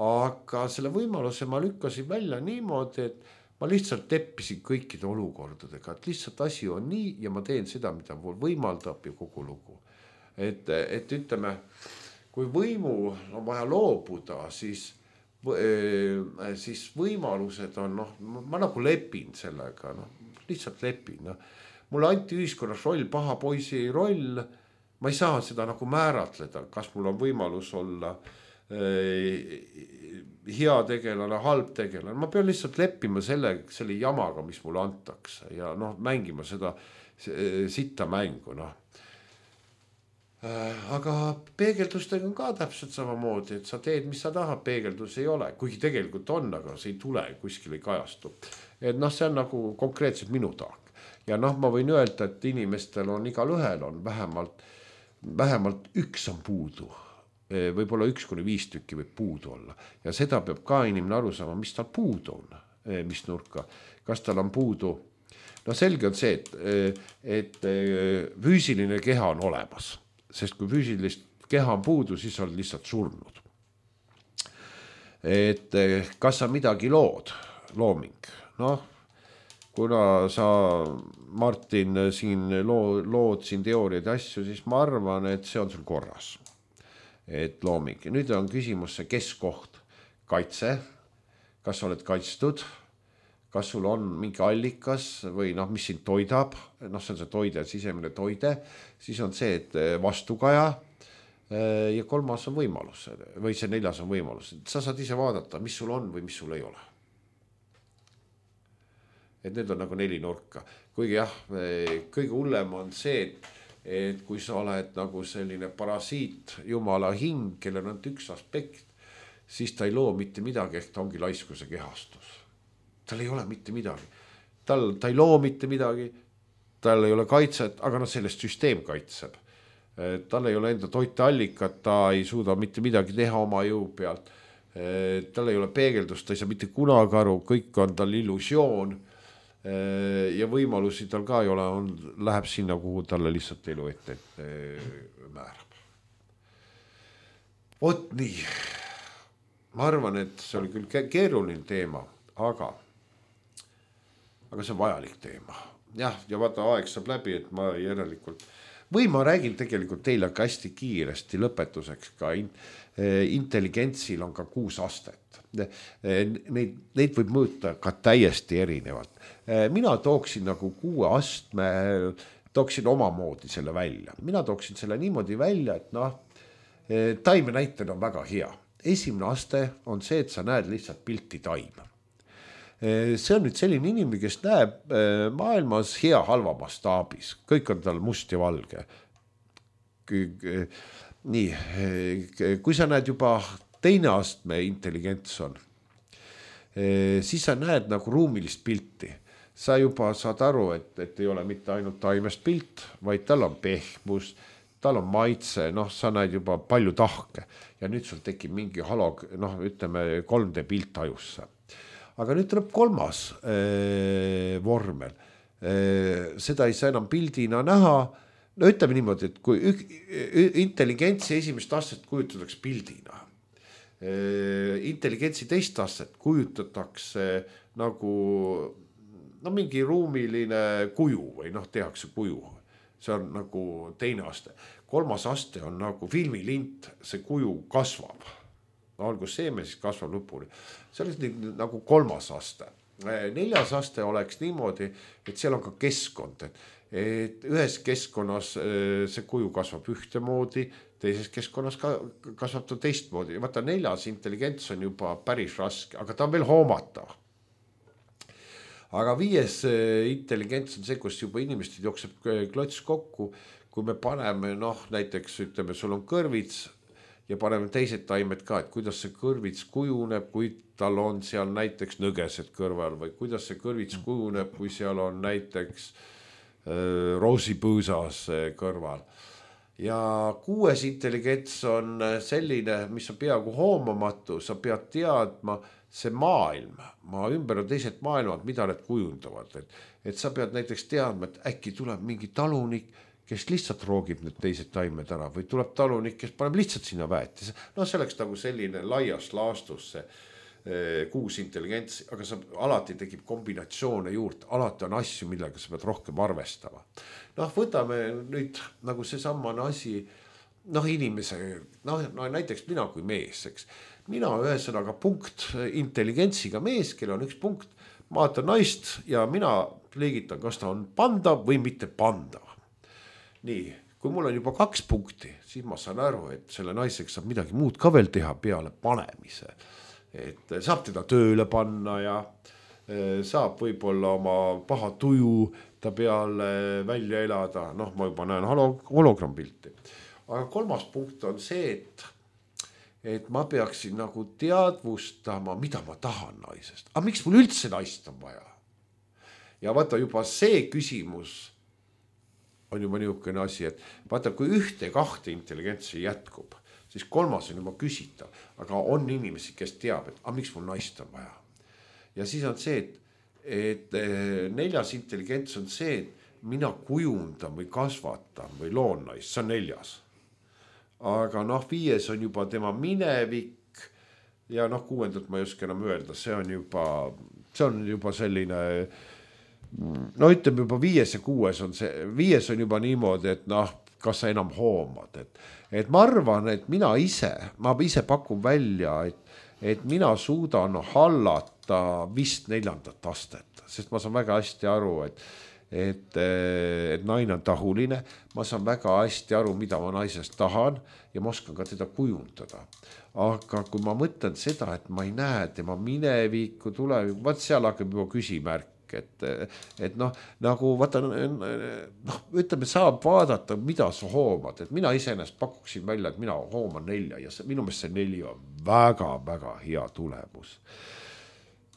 Aga selle võimaluse ma lükkasin välja niimoodi, et ma lihtsalt teppisin kõikide olukordadega, et lihtsalt asi on nii ja ma teen seda, mida mul võimaldab ja kogu lugu. Et, et ütleme, kui võimu on vaja loobuda, siis, siis võimalused on, noh, ma nagu lepin sellega, noh, lihtsalt lepin. No. Mulle anti ühiskonnas roll, paha poisi roll, ma ei saa seda nagu määratleda, kas mul on võimalus olla hea tegelane, halb tegelane. Ma pean lihtsalt leppima selle, selle jamaga, mis mulle antakse ja noh, mängima seda sitta mängu. Noh. Aga peegeldustega on ka täpselt samamoodi, et sa teed, mis sa tahad, peegeldus ei ole. Kuigi tegelikult on, aga see ei tule, kuskil ei kajastu. Et noh, see on nagu konkreetselt minu taak. Ja noh, ma võin öelda, et inimestel on igal ühel on vähemalt, vähemalt üks on puudu. Võib-olla üks kuni viis tükki võib puudu olla. Ja seda peab ka inimene aru saama, mis tal puudu on, mis nurka. Kas tal on puudu? No selge on see, et, et füüsiline keha on olemas. Sest kui füüsilist keha on puudu, siis on lihtsalt surnud. Et kas sa midagi lood, looming? Noh, kuna sa, Martin, siin loo, lood siin teooriad ja asju, siis ma arvan, et see on sul korras. Et looming. Nüüd on küsimus see keskkoht, kaitse, kas sa oled kaitstud, kas sul on mingi allikas või noh, mis sind toidab, noh, see on see toide, sisemine toide, siis on see, et vastukaja ja kolmas on võimalus või see neljas on võimalus. Sa saad ise vaadata, mis sul on või mis sul ei ole. Et need on nagu neli nurka. Kuigi jah, kõige hullem on see, et et kui sa oled nagu selline parasiit, jumala hing, kellel on üks aspekt, siis ta ei loo mitte midagi, ehk ta ongi laiskuse kehastus. Tal ei ole mitte midagi. Tal, ta ei loo mitte midagi, tal ei ole kaitset, aga noh, sellest süsteem kaitseb. Tal ei ole enda toiteallikat, ta ei suuda mitte midagi teha oma jõu pealt. Tal ei ole peegeldust, ta ei saa mitte kunagi aru, kõik on tal illusioon. Ja võimalusi tal ka ei ole, on, läheb sinna, kuhu talle lihtsalt elu ette, ette määrab. Vot nii. Ma arvan, et see oli küll keeruline teema, aga, aga see on vajalik teema. Jah, ja vaata, aeg saab läbi, et ma järelikult, või ma räägin tegelikult teile ka hästi kiiresti lõpetuseks ka in, intelligentsil on ka kuus astet. Neid, neid võib mõõta ka täiesti erinevalt. Mina tooksin nagu kuue astme, tooksin omamoodi selle välja. Mina tooksin selle niimoodi välja, et noh, taime näitel on väga hea. Esimene aste on see, et sa näed lihtsalt pilti taime. see on nüüd selline inimene, kes näeb maailmas hea halva mastaabis, kõik on tal must ja valge. Nii, kui sa näed juba teine astme intelligents on, siis sa näed nagu ruumilist pilti. Sa juba saad aru, et, et ei ole mitte ainult taimest pilt, vaid tal on pehmus, tal on maitse, noh, sa näed juba palju tahke ja nüüd sul tekib mingi halog, noh, ütleme kolm D pilt ajusse. Aga nüüd tuleb kolmas äh, vormel. Äh, seda ei saa enam pildina näha. No ütleme niimoodi, et kui ük, intelligentsi esimest astet kujutatakse pildina, äh, intelligentsi teist astet kujutatakse nagu no, mingi ruumiline kuju või noh, tehakse kuju. See on nagu teine aste. Kolmas aste on nagu filmilint, see kuju kasvab. No, olgu seeme, siis kasvab lõpuni. See on nagu kolmas aste. Neljas aste oleks niimoodi, et seal on ka keskkond. Et, et ühes keskkonnas see kuju kasvab ühtemoodi, teises keskkonnas ka, kasvab ta teistmoodi. Vaata, neljas intelligents on juba päris raske, aga ta on veel hoomatav. Aga viies intelligents on see, kus juba inimesed jookseb klots kokku, kui me paneme, noh, näiteks ütleme, sul on kõrvits ja paneme teised taimed ka, et kuidas see kõrvits kujuneb, kui tal on seal näiteks nõgesed kõrval või kuidas see kõrvits kujuneb, kui seal on näiteks äh, roosipõõsas kõrval. Ja kuues intelligents on selline, mis on peaaegu hoomamatu, sa pead teadma, see maailm, maa ümber on teised maailmad, mida need kujundavad. Et, et sa pead näiteks teadma, et äkki tuleb mingi talunik, kes lihtsalt roogib need teised taimed ära või tuleb talunik, kes paneb lihtsalt sinna väeti. No see oleks nagu selline laias laastus see eh, kuus intelligentsi, aga sa alati tekib kombinatsioone juurde, alati on asju, millega sa pead rohkem arvestama. Noh, võtame nüüd nagu see sammane asi, noh inimese, noh no, näiteks mina kui mees, eks. Mina ühesõnaga punkt intelligentsiga mees, kel on üks punkt, vaatan naist ja mina liigitan, kas ta on pandav või mitte pandav. Nii, kui mul on juba kaks punkti, siis ma saan aru, et selle naiseks saab midagi muud ka veel teha peale panemise. Et saab teda tööle panna ja saab võib-olla oma paha tuju ta peale välja elada. Noh, ma juba näen hologrampilti. Aga kolmas punkt on see, et et ma peaksin nagu teadvustama, mida ma tahan naisest. Aga miks mul üldse naist on vaja? Ja vaata juba see küsimus on juba niisugune asi, et vaata, kui ühte kahte intelligentsi jätkub, siis kolmas on juba küsitav, aga on inimesi, kes teab, et aga miks mul naist on vaja. Ja siis on see, et, et neljas intelligents on see, et mina kujundan või kasvatan või loon naist, see on neljas. Aga noh, viies on juba tema minevik ja noh, kuuendat ma ei oska enam öelda, see on juba, see on juba selline, no ütleme juba viies ja kuues on see, viies on juba niimoodi, et noh, kas sa enam hoomad, et, et ma arvan, et mina ise, ma ise pakun välja, et, et mina suudan hallata vist neljandat astet, sest ma saan väga hästi aru, et Et, et naine on tahuline, ma saan väga hästi aru, mida ma naisest tahan ja ma oskan ka teda kujundada. Aga kui ma mõtlen seda, et ma ei näe tema minevikku, tulevikku, vaat seal hakkab juba küsimärk, et, et noh, nagu vaata, noh, ütleme, saab vaadata, mida sa hoomad, et mina iseenesest pakuksin välja, et mina hooman nelja ja see, minu meelest see neli on väga-väga hea tulemus.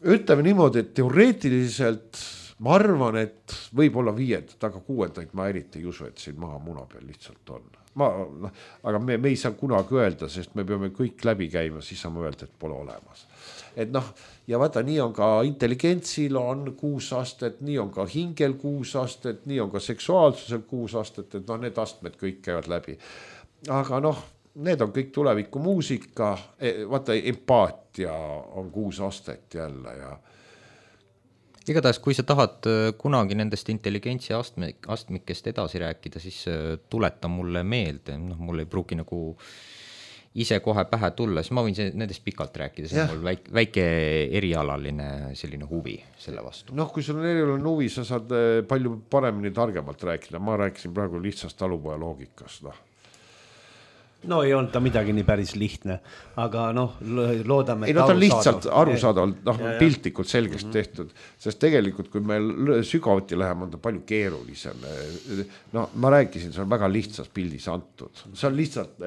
Ütleme niimoodi, et teoreetiliselt ma arvan, et võib olla viiendat, aga kuuendaid ma eriti ei usu, et siin maha muna peal lihtsalt on. Ma, no, aga me, me ei saa kunagi öelda, sest me peame kõik läbi käima, siis saame öelda, et pole olemas. Et noh, ja vaata, nii on ka intelligentsil on kuus astet, nii on ka hingel kuus astet, nii on ka seksuaalsusel kuus astet, et noh, need astmed kõik käivad läbi. Aga noh, need on kõik tuleviku muusika, vaata, empaatia on kuus astet jälle ja igatahes, kui sa tahad kunagi nendest intelligentsi astme, astmikest edasi rääkida, siis tuleta mulle meelde, noh, mul ei pruugi nagu ise kohe pähe tulla, siis ma võin nendest pikalt rääkida, see on mul väike, väike erialaline selline huvi selle vastu. Noh, kui sul on erialaline huvi, sa saad palju paremini targemalt rääkida, ma rääkisin praegu lihtsast talupoja loogikast, noh. no ei olnud ta midagi nii päris lihtne, aga noh, loodame. Ei, no ta on lihtsalt arusaadavalt, noh, piltlikult selgesti mm-hmm. tehtud, sest tegelikult, kui meil sügavuti läheme, on ta palju keerulisem. No ma rääkisin, see on väga lihtsas pildis antud. See on lihtsalt,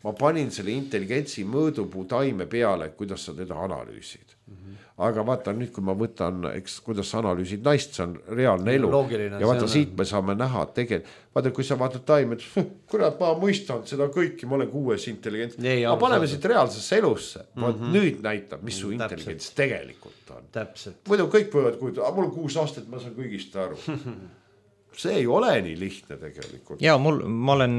ma panin selle intelligentsi mõõdupuu taime peale, kuidas sa teda analüüsid. Mm-hmm. Aga vaata nüüd, kui ma võtan, eks, kuidas sa analüüsid naist, see on reaalne elu. Loogiline, ja vaata, siit me saame näha, et tegelikult, vaata, kui sa vaatad taime, et kurat, ma mõistan seda kõiki, ma olen kuues intelligents. Ma paneme siit reaalsesse elusse. Mm-hmm. Nüüd näitab, mis su intelligents Täpselt. Tegelikult on. Täpselt. Muidu kõik võivad kujuda, mul on kuus aastat, ma saan kõigist aru. See ei ole nii lihtne tegelikult. Ja mul, ma olen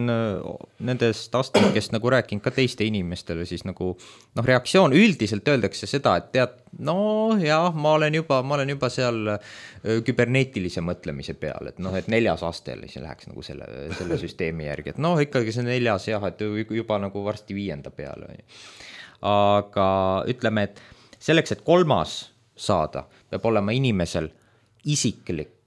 nendest astmikest nagu rääkinud ka teiste inimestele, siis nagu noh, reaktsioon üldiselt öeldakse seda, et tead, no jah, ma olen juba, ma olen juba seal küberneetilise mõtlemise peal, et noh, et neljas astele siis läheks nagu selle, selle süsteemi järgi, et noh, ikkagi see neljas jah, et juba nagu varsti viienda peale. Aga ütleme, et selleks, et kolmas saada, peab olema inimesel isiklik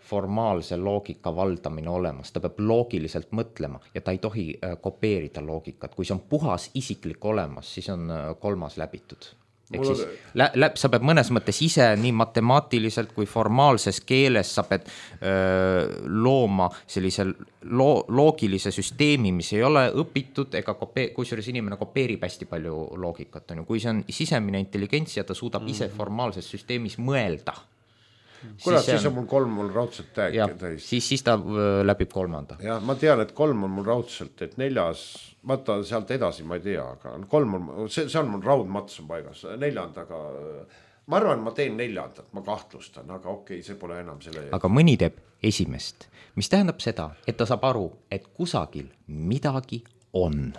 formaalse loogika valdamine olemas, ta peab loogiliselt mõtlema ja ta ei tohi kopeerida loogikat. Kui see on puhas isiklik olemas, siis on kolmas läbitud. Ehk siis lä- lä- sa pead mõnes mõttes ise nii matemaatiliselt kui formaalses keeles sa pead öö, looma sellise lo- loogilise süsteemi, mis ei ole õpitud ega kope- kusjuures inimene kopeerib hästi palju loogikat. On ju. Kui see on sisemine intelligents ja ta suudab mm. ise formaalses süsteemis mõelda, kurat, siis, siis on mul kolm mul raudselt täis. Siis, siis ta läbib kolmanda. Ja ma tean, et kolm on mul raudselt, et neljas, vaata sealt edasi ma ei tea, aga kolm on, see, see on mul raudmats on paigas, neljandaga, ma arvan, ma teen neljandat, ma kahtlustan, aga okei, see pole enam selle. Aga mõni teeb esimest, mis tähendab seda, et ta saab aru, et kusagil midagi on.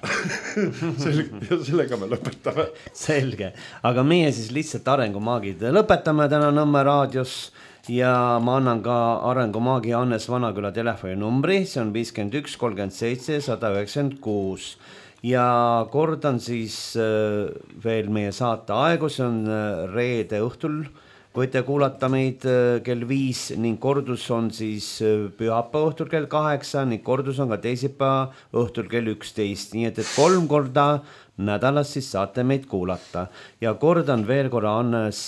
Sellega me lõpetame. Selge, aga meie siis lihtsalt arengumaagid lõpetame täna Nõmme raadios ja ma annan ka arengumaagi Hannes Vanaküla telefoninumbri, see on viiskümmend üks kolmkümmend seitse sada üheksakümmend kuus ja kordan siis veel meie saate aegu, see on reede õhtul, võite kuulata meid kell viis ning kordus on siis pühapäeva õhtul kell kaheksa ning kordus on ka teisipäeva õhtul kell üksteist, nii et, et kolm korda nädalas siis saate meid kuulata ja kordan veel korra Hannes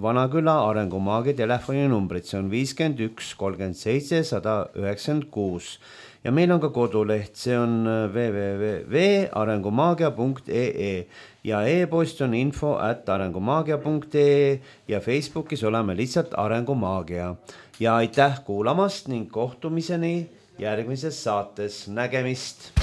Vanaküla arengumaagi telefoninumbrit, see on viiskümmend üks kolmkümmend seitse sada üheksakümmend kuus ja meil on ka koduleht, see on w w w punkt arengumaagia punkt e e ja e-post on info at arengumaagia punkt e e ja Facebookis oleme lihtsalt Arengumaagia ja aitäh kuulamast ning kohtumiseni järgmises saates, nägemist.